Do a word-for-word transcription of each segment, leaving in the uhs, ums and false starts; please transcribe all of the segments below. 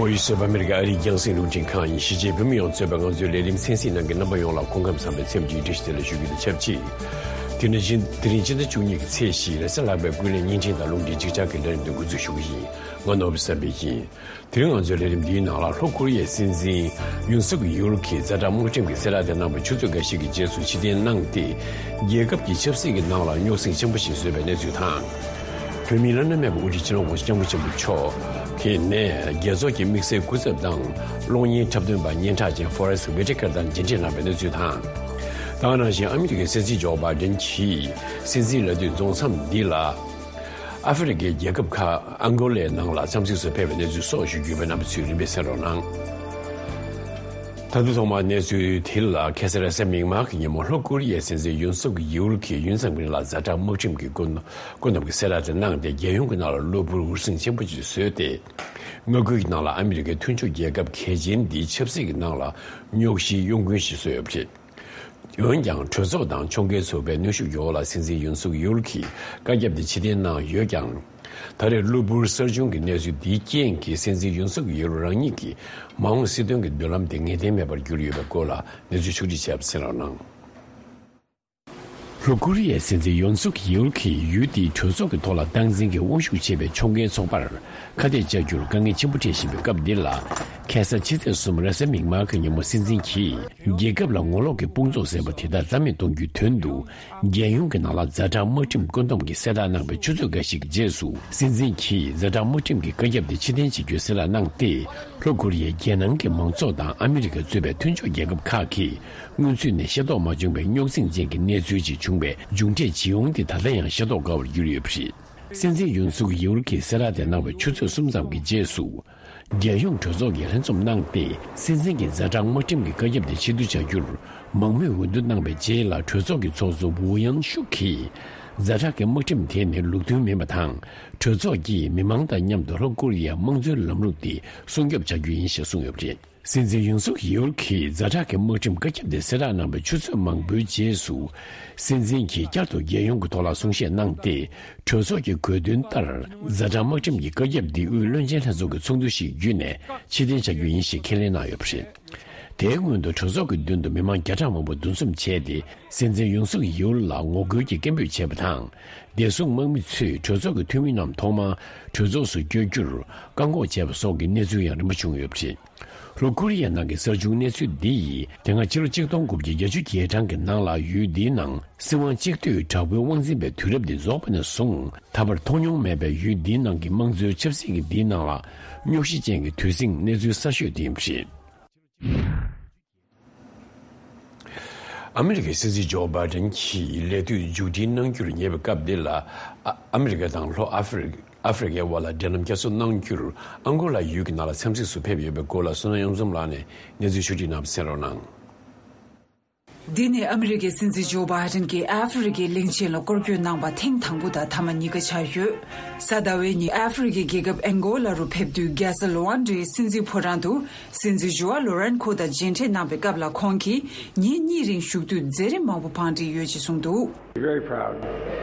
བོད་སོག་པོ་ཨ་མི་རི་ཀའི་ཨ་རིའི་རྒྱང་སྲིང་རླུང་འཕྲིན་ཁང་ཡིན། གཞིས་བྱེས་བོད་མི་ཡོངས་གཙོས་པའི་ང་ཚོའི་ལས་རིམ་གསན་གཟིགས་གནང་མཁན་རྣམ་པ་ཡོངས་ལ་སྐུ་ཁམས་བཟང་པའི་འཚམས་འདྲིའི་བཀྲ་ཤིས་བདེ་ལེགས་ཞུ་རྒྱུ་དང་ཆབས་ཅིག་དེ་ནི་སྤྱི་དེ་རིང་སྤྱི་ཟླ་བཅུ་གཉིས་ཀྱི་ཚེས་བཞི་རེས་གཟའ་ལྷག་པའི་ཀུན་གླེང་བརྙན་འཕྲིན་དང་རླུང་འཕྲིན་གཅིག་ཆར་གྱི་ལས་རིམ་དེ་འགོ་འཛུགས་ཞུ་གི་ཡིན། ང་ནོར་བུ་བསམ་འཕེལ་ཡིན། དེ་རིང་ང་ཚོའི་ལས་རིམ་འདིའི་ནང་ལ་ལྷོ་ཀོ་རི་ཡའི་སྲིད་འཛིན་ཡུན་སུག་ཡུལ་གྱིས་ཛ་དྲག་དམག་ཁྲིམས་ཀྱི་གསལ་བསྒྲགས་དེ་གནང་བའི་ཆུ་ཚོད་འགའ་ཤས་ཀྱི་རྗེས་སུ་ཕྱིར་འཐེན་གནང་སྟེ། རྒྱལ་ཁབ་ཀྱི་ཆབ་སྲིད་ཀྱི་ནང་ལ་རྙོག་ཟིང་ཆེན་པོ་ཞིག་བཟོས་པའི་གནས་ཚུལ་དང་། བོད་མིའི་བླ་ན་མེད་པའི་དབུ་ཁྲིད་སྤྱི་ནོར་༸གོང་ས་༸སྐྱབས་མགོན་ཆེན་པོ་མཆོག་གིས་ནས་རྒྱལ་ཚོགས་ཀྱི་དམིགས་བསལ་སྐུ་ཚབ་དང་གློག་བརྙན་འཁྲབ་སྟོན་པ་སྙན་གྲགས་ཅན་ཧྥོ་རེ་སི་ཝི་ཊི་ཀར་དང་མཇལ་འཕྲད་གནང་བའི་གནས་ཚུལ་དང་། དེ་ག་ནང་བཞིན་ཨ་མི་རི་ཀའི་སྲིད་འཛིན་ཇོ་བྷའི་ཌེན་གྱིས་སྲིད་འཛིན་ལས་དུས་རྫོགས་མཚམས་འདི་ལ། ཨ་ཧྥེ་རི་ཁའི་རྒྱལ་ཁབ་ཁག་ཨང་གོ་ལའི་ནང་ལ་འཚམས་གཟིགས་སུ་ཕེབས་པའི་གནས་ཚུལ་སོགས་ཞུ་རྒྱུ་ཡོད་པས། རྣམ་པ་ཚོས་རིམ་པས་གསན་རོགས་གནང་། ད་དུང་ཐོག་མར་གནས་ཚུལ་དེ་ལ། ཁ་སང་རེས་གཟའ་མིག་དམར་གྱི་ཉིན་མོ་ལྷོ་ཀོ་རི་ཡའི་སྲིད་འཛིན་ཡུན་སུག་ཡུལ་གྱིས་ཡུན་ཙམ་རིང་ལ་ཛ་དྲག་དམག་ཁྲིམས་ཀྱི་བཀོད་བཀོད་འདོམས་ཀྱི་གསལ་བསྒྲགས་དེ་གནང་སྟེ། རྒྱལ་ཡོངས་ཀྱི་ནང་ལ་གློ་བུར་འུར་ཟིང་ཆེན་པོ་ཞིག་བཟོས་ཏེ། མངའ་ཁུལ་གྱི་ནང་ལ་ཨ་མི་རི་ཀའི་མཐུན་ཕྱོགས་རྒྱལ་ཁབ་གལ་ཆེན་འདིའི་ཆབ་སྲིད་ཀྱི་ནང་ལ་རྙོག་གཞིའི་གཡོ་འགུལ་ཞིག་བཟོས་ཡོད་པ་རེད། འོན་ཀྱང་། གྲོས་ཚོགས་དང་ཕྱོགས་འགལ་ཚོགས་པའི་གནོན་ཤུགས་ཀྱི་འོག་ལ་སྲིད་འཛིན་ཡུན་སུག་ཡུལ་གྱིས་བཀའ་ཁྱབ་དེ་ཕྱིར་འཐེན་གནང་ཡོད་ཀྱང་། ད་རེས་གློ་བུར་གསར་བྱུང་གི་གནས་ཚུལ་འདིའི་རྐྱེན་གྱིས་སྲིད་འཛིན་ཡུན་སུག་ཡུལ་རང་ཉིད་ཀྱི་མ་འོངས་སྲིད་དོན་གྱི་མདུན་ལམ་དེ་ངེས་གཏན་མེད་པར་གྱུར་ཡོད་པའི་སྐོར་ལ་གནས་ཚུལ་ཕྱོགས་བསྒྲིགས་བྱས་པ་གསན་རོགས་གནང་། ལྷོ་ཀོ་རི་ཡའི་སྲིད་འཛིན་ཡོན་སུག་ཡིའུལ་གྱིས་ཡུལ་དེའི་གྲོས་ཚོགས་ཀྱི་ཐོག་ལ་སྟངས་འཛིན་གྱི་དབང་ཤུགས་ཆེ་བའི་ཕྱོགས་འགལ་ཚོགས་པར་ཁ་གཏད་བཅག་རྒྱུར་དཀའ་ངལ་ཆེན་པོ་འཕྲད་བཞིན་པའི་སྐབས་འདི་ལ། ཁ་སང་ཕྱི་ཚེས་གསུམ་རེས་གཟའ་མིག་དམར་གྱི་ཉིན་མོ་སྲིད་འཛིན་གྱིས་རྒྱལ་ཁབ་ལ་ངོ་ལོག་གི་དཔུང་ཚོགས་ཟེར་བ་དེ་དག་རྩ་མེད་གཏོང་རྒྱུའི་དོན་དུ། རྒྱལ་ཡོངས་ཀྱི་ནང་ལ་ཛ་དྲག་དམག་ཁྲིམས་བཀོད་འདོམས་ཀྱི་གསལ་བསྒྲགས་གནང་བའི་ཆུ་ཚོད་འགའ་ཞིག་གི་རྗེས་སུ། སྲིད་འཛིན་གྱིས་ཛ་དྲག་དམག་ཁྲིམས་ཀྱི་བཀའ་ཁྱབ་དེ་ཕྱིར་འཐེན་བྱེད་རྒྱུའི་གསལ་བསྒྲགས་གནང་སྟེ། ལྷོ་ཀོ་རི་ཡའི་རྒྱལ་ནང་གི་མང་ཚོགས་དང་ཨ་མི་རི་ཀ་གཙོས་པའི་མཐུན་ཕྱོགས་རྒྱལ་ཁབ་ཁག་གིས། སྔོན་ཚུད་ནས་ཤེས་རྟོགས་མ་བྱུང་བའི་རྙོག་ཟིང་ཅན་གྱི་གནས་ཚུལ་ཅིག་བྱུང་བའི་མཇུག་འབྲས་ཇི་ཡོང་དེ་ད་ལྟ་ཡང་ཤེས་རྟོགས་དཀའ་བར་གྱུར་ཡོད་པ་རེད། སྲིད་འཛིན་ཡུན་སུག་ཡིའུལ་གྱིས་གསལ་བསྒྲགས་དེ་གནང་བའི་ཆུ་ཚོད་གསུམ་ཙམ་གྱི་རྗེས་སུ། རྒྱལ་ཡོངས་གྲོས་ཚོགས་ཀྱིས་ལྷན་འཛོམས་གནང་སྟེ། སྲིད་འཛིན་གྱི་ཛ་དྲག་དམག་ཁྲིམས་ཀྱི་བཀའ་ཁྱབ་དེ་ཕྱིར་བསྡུ་བྱ་རྒྱུར་མང་མོས་འོས་བསྡུ་གནང་བའི་རྗེས་ལ། གྲོས་ཚོགས་ཀྱི་ཚོགས་གཙོ་ཝུ་ཡན་ཤུག་གིས། ཛ་དྲག་གི་དམག་ཁྲིམས་དེ་ནི་ལུགས་མཐུན་མིན་པ་དང་། གྲོས་ཚོགས་ཀྱིས་མི་མང་དང་མཉམ་དུ་ལྷོ་ཀོ་རི་ཡའི་དམངས་གཙོའི་ལམ་ལུགས་དེ་སྲུང་སྐྱོབ་བྱ་རྒྱུ་ཡིན་ཞེས་གསུངས་ཡོད་པ་རེད། སྲིད་འཛིན་ཡུན་སུག་ཡིའུལ་གྱིས་ཛ་དྲག་གི་དམག་ཁྲིམས་བཀའ་ཁྱབ་དེ་གསལ་བསྒྲགས་གནང་བའི་ཆུ་ཚོད་མང་པོའི་རྗེས་སུ། སྲིད་འཛིན་གྱིས་བསྐྱར་དུ་རྒྱལ་ཡོངས་ཀྱི་ཐོག་ལ་གསུང་བཤད་གནང་སྟེ། གྲོས་ཚོགས་ཀྱི་དགོས་འདུན་ལྟར། ཛ་དྲག་དམག་ཁྲིམས་ཀྱི་བཀའ་ཁྱབ་འདི་དབུས་བློན་ཆེན་ལྷན་ཚོགས་ཀྱི་ཚོགས་འདུ་ཞིག་བརྒྱུད་ནས་ཕྱིར་འཐེན་བྱ་རྒྱུ་ཡིན་ཞེས་ཁས་ལེན་གནང་ཡོད་པ་རེད། དེའི་སྔོན་དུ་གྲོས་ཚོགས་ཀྱི་མདུན་དུ་མི་མང་བརྒྱ་ཕྲག་མང་པོ་འདུ་འཛོམས་བྱས་ཏེ། སྲིད་འཛིན་ཡུན་སུག་ཡིའུལ་ལ་ངོ་རྒོལ་གྱི་སྐད་འབོད་བྱས་པ་དང་། བདེ་སྲུང་དམག་མི་ཚོས་གྲོས་ཚོགས་ཀྱི་འཐུས་མི་རྣམས་ཐོག་མར་གྲོས་ཚོགས་སུ་བསྐྱོད་རྒྱུར་བཀག་འགོག་བྱས་པ་སོགས་ཀྱི་གནས་ཚུལ་ཡང་རིམ་པ་བྱུང་ཡོད་པ་རེད། ལྷོ་ཀོ་རི་ཡའི་ནང་གི་གསར་བྱུང་གནས་ཚུལ་འདི་ཡིས། དེ་སྔ་ཕྱི་ལོ་ཆིག་སྟོང་དགུ་བརྒྱ་བརྒྱད་ཅུ་གྱ་གྲངས་ཀྱི་ནང་ལ། ཡུལ་འདིའི་ནང་སྲིད་དབང་གཅིག་སྡུད་དྲག་པོའི་དབང་འཛིན་པའི་དུས་རབས་འདི་རྫོགས་པ་ནས་བཟུང་། ད་བར་མཐོང་མྱོང་མེད་པའི་ཡུལ་འདིའི་ནང་གི་དམངས་གཙོའི་ཆབ་སྲིད་ཀྱི་འདིའི་ནང་ལ། རྙོག་གཞི་ཅན་གྱི་དུས་ཟིང་གནས་ཚུལ་གསར་ཤོས་དེ་ཡིན་པ་རེད། ཨ་མི་རི་ཀའི་སྲིད་འཛིན་ཇོ་བྷའི་ཌེན་གྱིས་ལས་དུས་མཇུག་སྒྲིལ་གནང་རྒྱུར་ཉེ་བའི་སྐབས་འདི་ལ། ཨ་ཨ་མི་རི་ཀ་དང་ལྷོ་ཨ་ཧྥེ་རི་ཨ་ཧྥེ་རི་ཀའི་དབར་ལ་འབྲེལ་ལམ་བསྐྱར་གསོ་གནང་རྒྱུར་ཨང་གོ་ལ་ཡུལ་གྱི་ནང་ལ་འཚམས་གཟིགས་སུ་ཕེབས་ཡོད་པའི་སྐོར་ལ། བསོད་ནམས་གཡུ་འཛོམས་ལགས་ནས་གནས་ཚུལ་ཕྱོགས་སྒྲིག་གནང་བ་གསན་རོགས་གནང་། འདི་ནི་ཨ་མི་རི་ཀའི་སྲིད་འཛིན་ཇོ་བྷའི་ཌེན་གྱིས་ཨ་ཧྥེ་རི་ཀའི་གླིང་ཆེན་ལ་སྐོར་སྐྱོད་གནང་པ་ཐེངས་དང་པོ་དང་ཐ་མ་གཉིས་ཀ་ཆགས་ཡོད། གཟའ་ཟླ་བའི་ཉིན་ཨ་ཧྥེ་རི་ཀའི་རྒྱལ་ཁབ་ཨེང་གོ་ལ་རུ་ཕེབས་དུས། རྒྱལ་ས་ལུ་ཨན་ཌའི་སྲིད་འཛིན་ཕོ་བྲང་དུ། སྲིད་འཛིན་ཇོ་ཨ་ལོ་རན་ཁོ་དང་མཇལ་འཕྲད་གནང་བའི་སྐབས་ལ། ཁོང་གིས་ཉིན་གཉིས་རིང་བཞུགས་དུས་མཛད་རིམ་མང་པོ་བང་སྒྲིག་ཡོད་ཅེས་གསུངས་འདུག། Very proud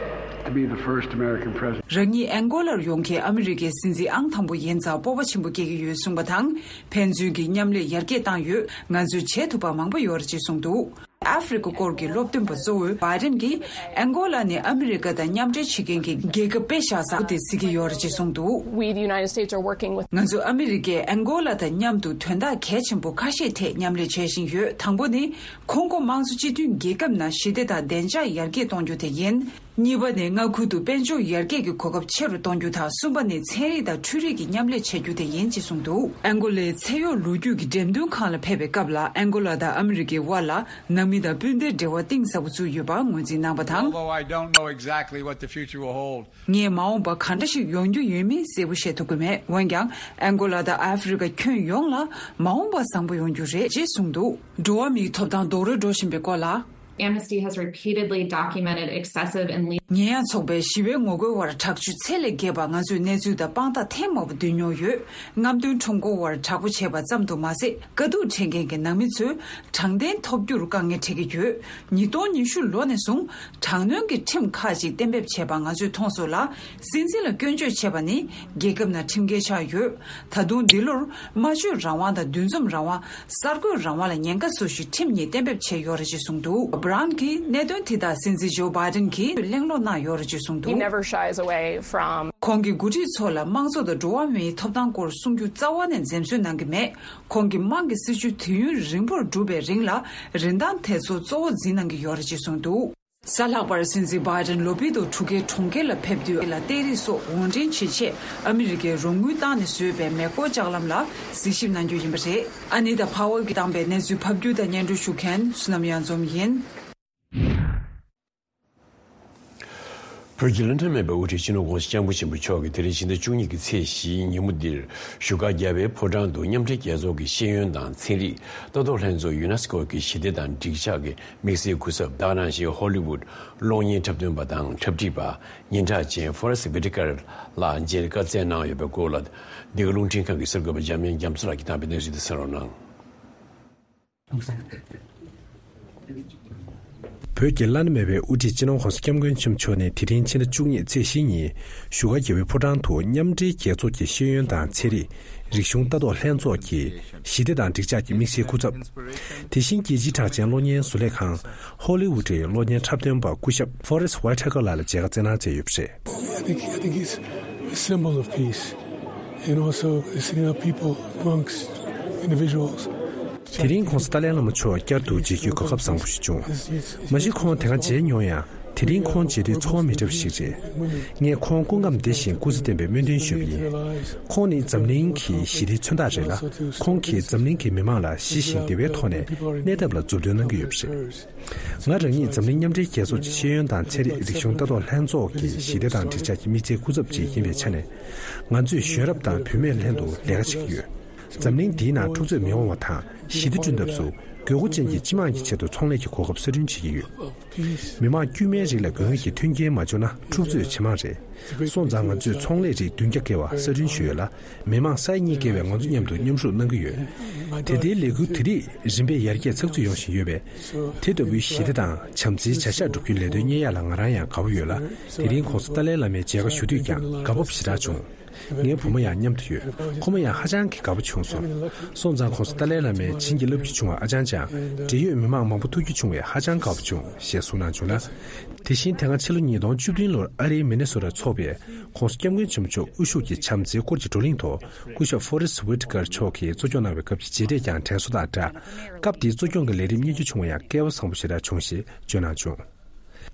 to be the first American president. རང་ཉིད་ཨེང་གོ་ལར་ཡོང་མཁན་ཨ་མི་རི་ཀའི་སྲིད་འཛིན་ཨང་དང་པོ་ཡིན་ཙང་སྤོབས་པ་ཆེན་པོ་སྐྱེ་གི་ཡོད་གསུངས་པ་དང་། ཕན་ཚུན་གྱི་མཉམ་ལས་ཡར་རྒྱས་བཏང་ཡོད། ང་ཚོས་བྱེད་ཐུབ་པ་མང་པོ་ཡོད་རེད་ཅེས་གསུངས་འདུག། ཨ་ཧྥེ་རི་ཀ་སྐོར་གྱི་སློབ་སྟོན་པ་གཙོ་བོས་བྷའི་ཌེན་གྱིས་ཨེང་གོ་ལ་ནི་ཨ་མི་རི་ཀ་དང་མཉམ་འབྲེལ་བྱེད་མཁན་གྱི་རྒྱལ་ཁབ་དཔེ་བཞག་ས་དེ་གཟིགས་ཀྱི་ཡོད་རེད་ཅེས་གསུངས་འདུག། We, the United States, are working with ང་ཚོ་ཨ་མི་རི་ཀས་ཨེང་གོ་ལ་དང་མཉམ་དུ་དོན་དག་གལ་ཆེན་པོ་ཁ་ཤས་ཐད་མཉམ་ལས་བྱེད་བཞིན་ཡོད། དང་པོ་ནི། ཁོང་ཀོ་དམངས་གཙོ་སྤྱི་མཐུན་རྒྱལ་ཁབ་ནང་ཞི་བདེ་དང་བདེ་འཇགས་ཡར་རྒྱས་གཏོང་རྒྱུ་དེ་ཡིན། གཉིས་པ་ནི། མངའ་ཁུལ་དུ་དཔལ་འབྱོར་ཡར་རྒྱས་ཀྱི་གོ་སྐབས་ཆེ་རུ་གཏོང་རྒྱུ་དང་། གསུམ་པ་ནི། ཚན་རིག་དང་འཕྲུལ་རིག་གི་མཉམ་ལས་བྱ་རྒྱུ་དེ་ཡིན་ཅེས་གསུངས་འདུག། ཨེང་གོ་ལའི་ཚད་གཡོག་ལོ་རྒྱུས་ཀྱི་འགྲེམས་སྟོན་ཁང་ལ་ཕེབས་པའི་སྐབས་ལ། ཨེང་གོ་ལ་དང་ཨ་མི་རི་ཀའི་དབར་ལ་ནང་མི་དང་སྤུན་ཟླའི་འབྲེལ་བ་གཏིང་ཟབ་པོ་བཙུགས་ཡོད་པ་ངོས་འཛིན་གནང་བ་དང་། Although I don't know exactly what the future will hold. ངས་མ་འོངས་པ་གང་འདྲ་ཞིག་ཡོང་རྒྱུ་ཡོད་མེད་གསལ་པོ་བཤད་ཐུབ་ཀྱི་མེད། འོན་ཀྱང་། ཨེང་གོ་ལ་དང་ཨ་ཧྥེ་རི་ཀ་ཁྱོན་ཡོངས་ལ་མ་འོངས་པ་བཟང་པོ་ཡོང་རྒྱུ་རེད་ཅེས་གསུངས་འདུག། འགྲོ་བ་མིའི་ཐོབ་ཐང་རྡོག་རོལ་འགྲོ་བཞིན་པའི་སྐོར་ལ། Amnesty has repeatedly documented excessive and lethal ཉེས་ཡངས་ཚོགས་པའི་ཞི་བའི་ངོ་རྒོལ་བར་དྲག་སྤྱོད་ཚད་ལས་བརྒལ་བ་ང་ཚོས་གནས་ཚུལ་དང་དཔང་རྟགས་ཐེངས་མང་པོ་བསྡུས་མྱོང་ཡོད། རྔམ་སྟོན་ཁྲོམ་སྐོར་བར་དྲག་པོ་བྱས་པ་ཙམ་དུ་མ་ཟད། དཀའ་སྡུག་འཕྲད་མཁན་གྱི་ནང་མི་ཚོས་དྲང་བདེན་ཐོབ་རྒྱུར་དཀའ་ངལ་འཕྲད་ཀྱི་ཡོད། ཉིས་སྟོང་ཉི་ཤུ་ལོ་ནས་བཟུང་དྲག་གནོན་གྱི་ཁྲིམས་ཁག་ཅིག་གཏན་འབེབས་བྱས་པ་ང་ཚོས་མཐོང་སོང་ལ། སྲིད་འཛིན་ལ་སྐྱོན་བརྗོད་བྱས་པ་ནི་རྒྱལ་ཁབ་ནང་ཁྲིམས་འགལ་ཆགས་ཡོད། ད་དུང་འདི་ལོར་སྨྲ་བརྗོད་རང་དབང་དང་འདུ་འཛོམས་རང་དབང་། གསར་འགོད་རང་དབང་ལ་ཉེན་ཁ་བཟོ་གཞིའི་ཁྲིམས་གཉིས་གཏན་འབེབས་བྱས་ཡོད་རེད་ཅེས་གསུངས་འདུག Brown གྱིས་གནད་དོན་དེ་དག་སྲིད་འཛིན་ཇོ་བྷའི་ཌེན་གྱིས་གླེང་སློང་གནང་ཡོད་རེད་ཅེས་གསུངས་འདུག He never shies away from ཁོང་གིས་འགོ་ཁྲིད་ཚོ་ལ་དམངས་གཙོ་དང་འགྲོ་བ་མིའི་ཐོབ་ཐང་སྐོར་གསུང་རྒྱུ་རྩ་བ་ནས་འཛེམ་ཟོན་གནང་གི་མེད། ཁོང་གིས་དམངས་ཀྱི་སྲིད་བྱུས་དུས་ཡུན་རིང་པོར་བསྒྲུབས་པའི་རིང་ལ་རིན་ཐང་དེ་ཚོ་གཙོ་བོ་འཛིན་གནང་གི་ཡོད་རེད་ཅེས་གསུངས་འདུག་གཟའ་ལྷག་པར་སྲིད་འཛིན་བྷའི་ཌེན་ལོ་པི་ཏོ་གྲུ་ཁའི་གྲོང་ཁྱེར་ལ་ཕེབས་དུས་ལ་གཏེར་རིགས་སོགས་དབོར་འདྲེན་བྱེད་ཆེད་ཨ་མི་རི་ཀའི་རོགས་དངུལ་བཏང་ནས་བཟོས་པའི་མེ་འཁོར་ལྕགས་ལམ་ལ་གཟིགས་ཞིབ་གནང་རྒྱུ་ཡིན་པ་རེད། ཨ་ནི་ཏཱ་ཕ་ཝལ་གྱིས་བཏང་པའི་གནས་ཚུལ་ཕབ་སྒྱུར་དང་སྙན་སྒྲོན་ཞུ་མཁན་བསོད་ནམས་གཡང་འཛོམས་ཡིན། བོད་ཀྱི་བླ་ན་མེད་པའི་དབུ་ཁྲིད་སྤྱི་ནོར་༸གོང་ས་༸སྐྱབས་མགོན་ཆེན་པོ་མཆོག་གིས་དེ་རིང་ཕྱི་ཟླ་བཅུ་གཉིས་ཀྱི་ཚེས་བཞིའི་ཉིན་མོ་འདིར་བཞུགས་སྒར་རྒྱལ་བའི་ཕོ་བྲང་དུ་མཉམ་འབྲེལ་རྒྱལ་ཚོགས་ཀྱི་ཤེས་ཡོན་དང་ཚན་རིག་ལྟ་རྟོག་ལྷན་ཚོགས་ཡུ་ནེ་སི་ཀོ་གི་ཞི་བདེ་དང་འགྲིག་འཇགས་ཀྱི་དམིགས་བསལ་སྐུ་ཚབ། ད་ག་ནང་བཞིན་ཧོ་ལི་ཝུད་གློག་བརྙན་འཁྲབ་སྟོན་པ་དང་འཁྲབ་ཁྲིད་པ་སྙན་གྲགས་ཅན་ཧྥོ་རེ་སི་ཝི་ཊི་ཀར་ལགས་མཇལ་བཀའ་སྩལ་གནང་ཡོད་པའི་སྐོར་ལ། འདི་ག་རླུང་འཕྲིན་ཁང་གི་གསར་འགོད་པ་འཇམ་དབྱངས་རྒྱ་མཚོ་ལགས་ཀྱིས་བཏང་བའི་གནས་ཚུལ་དེ་གསན་རོགས་གནང་། བོད་ཀྱི་བླ་ན་མེད་པའི་དབུ་ཁྲིད་སྤྱི་ནོར་༸གོང་ས་༸སྐྱབས་མགོན་ཆེན་པོ་མཆོག་ནས་དེ་རིང་ཕྱི་ཟླ་བཅུ་གཉིས་ཚེས་བཞི་ཉིན་བཞུགས་སྒར་རྒྱལ་བའི་ཕོ་བྲང་དུ་མཉམ་འབྲེལ་རྒྱལ་ཚོགས་ཀྱི་ཤེས་ཡོན་དང་ཚན་རིག་རིག་གཞུང་ལྟ་རྟོག་ལྷན་ཚོགས་ཀྱི་ཞི་བདེ་དང་འགྲིག་འཇགས་ཀྱི་དམིགས་བསལ་སྐུ་ཚབ། དེ་བཞིན་རྒྱལ་སྤྱིའི་གྲགས་ཅན་གློག་བརྙན་བཟོ་ལས་ཁང་ཧོ་ལི་ཝུད་ཀྱི་གློག་བརྙན་འཁྲབ་སྟོན་པ་སྐུ་ཞབས་ཧྥོ་རེ་སི་ཝའི་ཊི་ཀར་ལགས་ལ་མཇལ་ཁ་བསྩལ་གནང་མཛད་ཡོད་པ་རེད། I think, I think he's a symbol of peace and also sending out people amongst individuals. དེ་རིང་༸གོང་ས་ཏཱ་ལའི་བླ་མ་མཆོག་བསྐྱར་དུ་མཇལ་རྒྱུའི་གོ་སྐབས་བཟང་པོ་ཞིག་བྱུང་། མ་གཞི་ཁོང་དེ་སྔ་མཇལ་མྱོང་ཡང་། དེ་རིང་ཁོང་མཇལ་དུས་ཚོར་བ་མི་འདྲ་བ་ཞིག་རེད། ངས་ཁོང་སྐུ་ཁམས་བདེ་ཞིང་སྐུ་ཚེ་བརྟན་པའི་སྨོན་འདུན་ཞུས་པ་ཡིན། ཁོང་ནི་འཛམ་གླིང་གི་ཞི་བདེའི་མཚོན་རྟགས་རེད་ལ། ཁོང་གིས་འཛམ་གླིང་གི་མི་མང་ལ་ཞི་ཞིང་བདེ་བའི་ཐོག་ནས་གནས་ཐབས་ལ་མཛུབ་སྟོན་གནང་གི་ཡོད་པ་རེད། ང་རང་ཉིད་འཛམ་གླིང་མཉམ་འབྲེལ་རྒྱལ་ཚོགས་ཀྱི་ཤེས་ཡོན་དང་ཚན་རིག་རིག་གཞུང་ལྟ་རྟོག་ལྷན་ཚོགས་ཀྱི་ཞི་བདེ་དང་འགྲིག་འཇགས་ཀྱི་དམིགས་བསལ་སྐུ་ཚབ་ཅིག་ཡིན་པའི་ཆ་ནས། ང་ཚོས་གཞོན་རབ་དང་བུད་མེད་ལྷན་དུ་ལས་ཀ་བྱེད་ཀྱི་ཡོད། འཛམ་གླིང་འདིའི་ནང་འཁྲུག་རྩོད་མི་འོང་བ་དང་ཞི་བདེ་བསྐྲུན་ཐབས་སུ་དགོས་མཁོ་ཅན་གྱི་སྤྱི་དམངས་ཀྱི་ཆེད་དུ་ཚོང་ལས་ཀྱི་གོ་སྐབས་གསར་སྐྲུན་བྱེད་ཀྱི་ཡོད། མི་དམངས་དཀྱུས་མའི་རིགས་ལ་དགོས་ངེས་ཀྱི་མཐུན་རྐྱེན་མ་བྱུང་ན་འཁྲུག་རྩོད་ཇེ་མང་རེད། སོང་ཙང་ང་ཚོས་ཚོང་ལས་རིགས་བདུན་བརྒྱ་བརྒལ་བ་གསར་སྐྲུན་ཞུས་ཡོད་ལ། མི་མང་ས་ཡ་གཉིས་བརྒལ་བས་ང་ཚོ་མཉམ་དུ་མཉམ་ཞུགས་གནང་གི་ཡོད། དེ་ལྟའི་ལས་འགུལ་དེ་རིགས་རིམ་པས་ཡར་རྒྱས་ཚགས་ཚུད་ཡོང་བཞིན་ཡོད་པས། དེ་ལྟ་བུའི་ཞི་བདེ་དང་བྱམས་བརྩེའི་བྱ་གཞག་སྒྲུབ་རྒྱུའི་ལས་དོན་གཉེར་ཡག་ལ་ང་རང་ཡང་དགའ་པོ་ཡོད་ལ། དེ་རིང་༸གོང་ས་ཏཱ་ལའི་བླ་མའི་མཇལ་ཁ་ཞུ་དུས་ཀྱང་དགའ་སྤོབས་ཞེ་དྲག་བྱུང་། ངའི་བུ་མོ་ཡང་མཉམ་དུ་ཡོད། ཁོ་མོ་ཡང་ཧ་ཅང་གི་དགའ་པོ་བྱུང་སོང་། སོང་ཙང་༸གོང་ས་ཏཱ་ལའི་བླ་མས་བྱིན་གྱིས་བརླབས་རྒྱུ་བྱུང་བ་ཨ་ཅང་ཅང་། འབྲེལ་ཡོད་མི་མང་མང་པོ་ཐུག་རྒྱུ་བྱུང་བས་ཧ་ཅང་དགའ་པོ་བྱུང་ཞེས་གསུངས་གནང་བྱུང་ལ། དེ་བཞིན་དེ་སྔ་ཕྱི་ལོ་ཉིས་སྟོང་བཅུ་བདུན་ལོར་ཨ་རིའི་མི་ནི་སོ་ཊར་འཚོགས་པའི་༸གོང་ས་༸སྐྱབས་མགོན་ཆེན་པོ་མཆོག་དབུ་བཞུགས་ཀྱི་བྱམས་བརྩེའི་སྐོར་གྱི་བགྲོ་གླེང་ཐོག་སྐུ་ཞབས་ཧྥོ་རེ་སི་ཝི་ཊི་ཀར་མཆོག་གིས་གཙོ་སྐྱོང་གནང་བའི་སྐབས་ཀྱི་མཇལ་འཕྲད་ཀྱང་དྲན་གསོ་དང་སྦྲགས། སྐབས་དེའི་གཙོ་སྐྱོང་གི་ལས་རིམ་གཉེར་རྒྱུ་བྱུང་བ་ཡང་སྐལ་བ་བཟང་པོ་ཞེ་དྲག་བྱུང་ཞེས་བརྗོད་གནང་བྱུང་།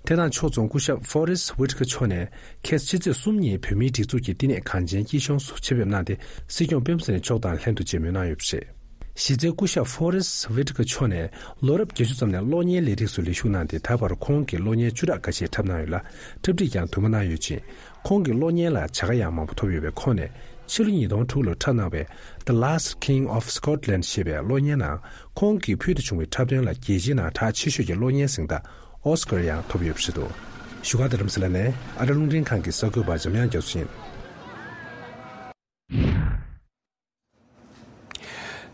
དེ་དང་ཕྱོགས་མཚུངས་སྐུ་ཞབས་ཧྥོ་རེ་སི་ཝི་ཊི་ཀར་མཆོག་ནས་ཁ་སང་ཕྱི་ཚེས་གསུམ་ཉིན་བོད་མིའི་སྒྲིག་འཛུགས་ཀྱི་བསྟི་གནས་གངས་ཅན་སྐྱིད་གཤོངས་སུ་ཆེད་ཕེབས་གནང་སྟེ་སྲིད་སྐྱོང་སྤེན་པ་ཚེ་རིང་མཆོག་དང་ལྷན་དུ་མཇལ་མོལ་གནང་ཡོད་པ་རེད། གཞི་རྩའི་སྐུ་ཞབས་ཧྥོ་རེ་སི་ཝི་ཊི་ཀར་མཆོག་ནས་ལོ་རབས་བརྒྱད་ཅུ་ཙམ་ནས་གློག་བརྙན་ལས་རིགས་སུ་ལས་ཞུགས་གནང་སྟེ་ད་བར་ཁོང་གིས་གློག་བརྙན་བཅུ་ཕྲག་འགའ་ཤས་འཁྲབ་གནང་ཡོད་ལ། འཁྲབ་ཁྲིད་ཀྱང་དུ་མ་གནང་ཡོད་ཅིང་། ཁོང་གི་གློག་བརྙན་ལ་བྱ་དགའ་ཡང་མང་པོ་ཐོབ་ཡོད་པས། ཁོང་ནས་ཕྱི་ལོ་ཉིས་སྟོང་དྲུག་ལོར་འཁྲབ་གནང་བའི་The Last King of Scotland ཞེས་པའི་གློག་བརྙན་ནང་ཁོང་གིས་ཕུལ་དུ་བྱུང་བའི་འཁྲབ་སྟོན་ལ་རྒྱལ་སྤྱིའི་ནང་གྲགས་ཆེ་ཤོས་ཀྱི་གློག་བརྙན་གཟེངས་རྟགས་ཨོ་སི་ཀར་ཡང་ཐོབ་ཡོད་པ་རེད་འདུག་བཞུགས་སྒར་རྡ་རམ་ས་ལ་ནས་ཨ་རི་རླུང་འཕྲིན་ཁང་གི་གསར་འགོད་པ་འཇམ་དབྱངས་རྒྱ་མཚོ་ཡིན།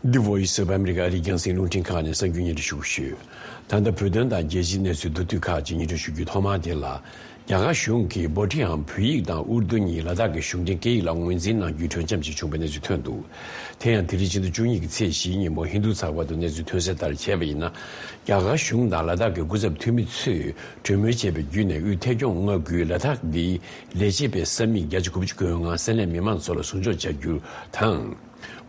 འདི་Voice of America ཨ་རིའི་རྒྱང་སྲིང་རླུང་འཕྲིན་ཁང་ནས་གསར་འགྱུར་སྙན་སྒྲོན་ཞུ་གི་ཡོད། ད་ལྟ་བོད་དོན་དང་རྒྱལ་སྤྱིའི་གནས་ཚུལ་མདོར་བསྡུས་ཁག་ཅིག་སྙན་སྒྲོན་ཞུ་རྒྱུའི་ཐོག་མར་དེ་ལ། རྒྱ་གར་གཞུང་གིས་སྦོ་ཊིའམ་བོད་ཡིག་དང་ཨུར་དུ་གཉིས་ལ་དྭགས་ཀྱི་གཞུང་འབྲེལ་སྐད་ཡིག་ལ་ངོས་འཛིན་གནང་རྒྱུའི་གྲོས་འཆམ་ཞིག་བྱུང་བའི་གནས་ཚུལ་ཐོན་འདུག་དེ་ཡང་དེ་རིང་ཕྱི་ཟླ་བཅུ་གཉིས་ཀྱི་ཚེས་བཞིའི་ཉིན་མོ་ཧིན་རྡུ་ཚགས་པར་དུ་གནས་ཚུལ་ཐོན་གསལ་ལྟར་བྱས་པ་ཡིན་ན། རྒྱ་གར་གཞུང་དང་ལ་དྭགས་ཀྱི་སྐུ་ཚབ་འཐུས་མི་ཚོས་གྲོས་མོལ་བྱས་པའི་བརྒྱུད་ནས་དབུས་ཐད་སྐྱོང་མངའ་ཁུལ་ལ་དྭགས་འདིའི་ལས་བྱེད་པའི་ས་མིག་བརྒྱ་ཆ་དགུ་བཅུ་གོ་ལྔ་ས་གནས་མི་མང་ཚོ་ལ་ཟུར་འཇོག་བྱ་རྒྱུ་དང་།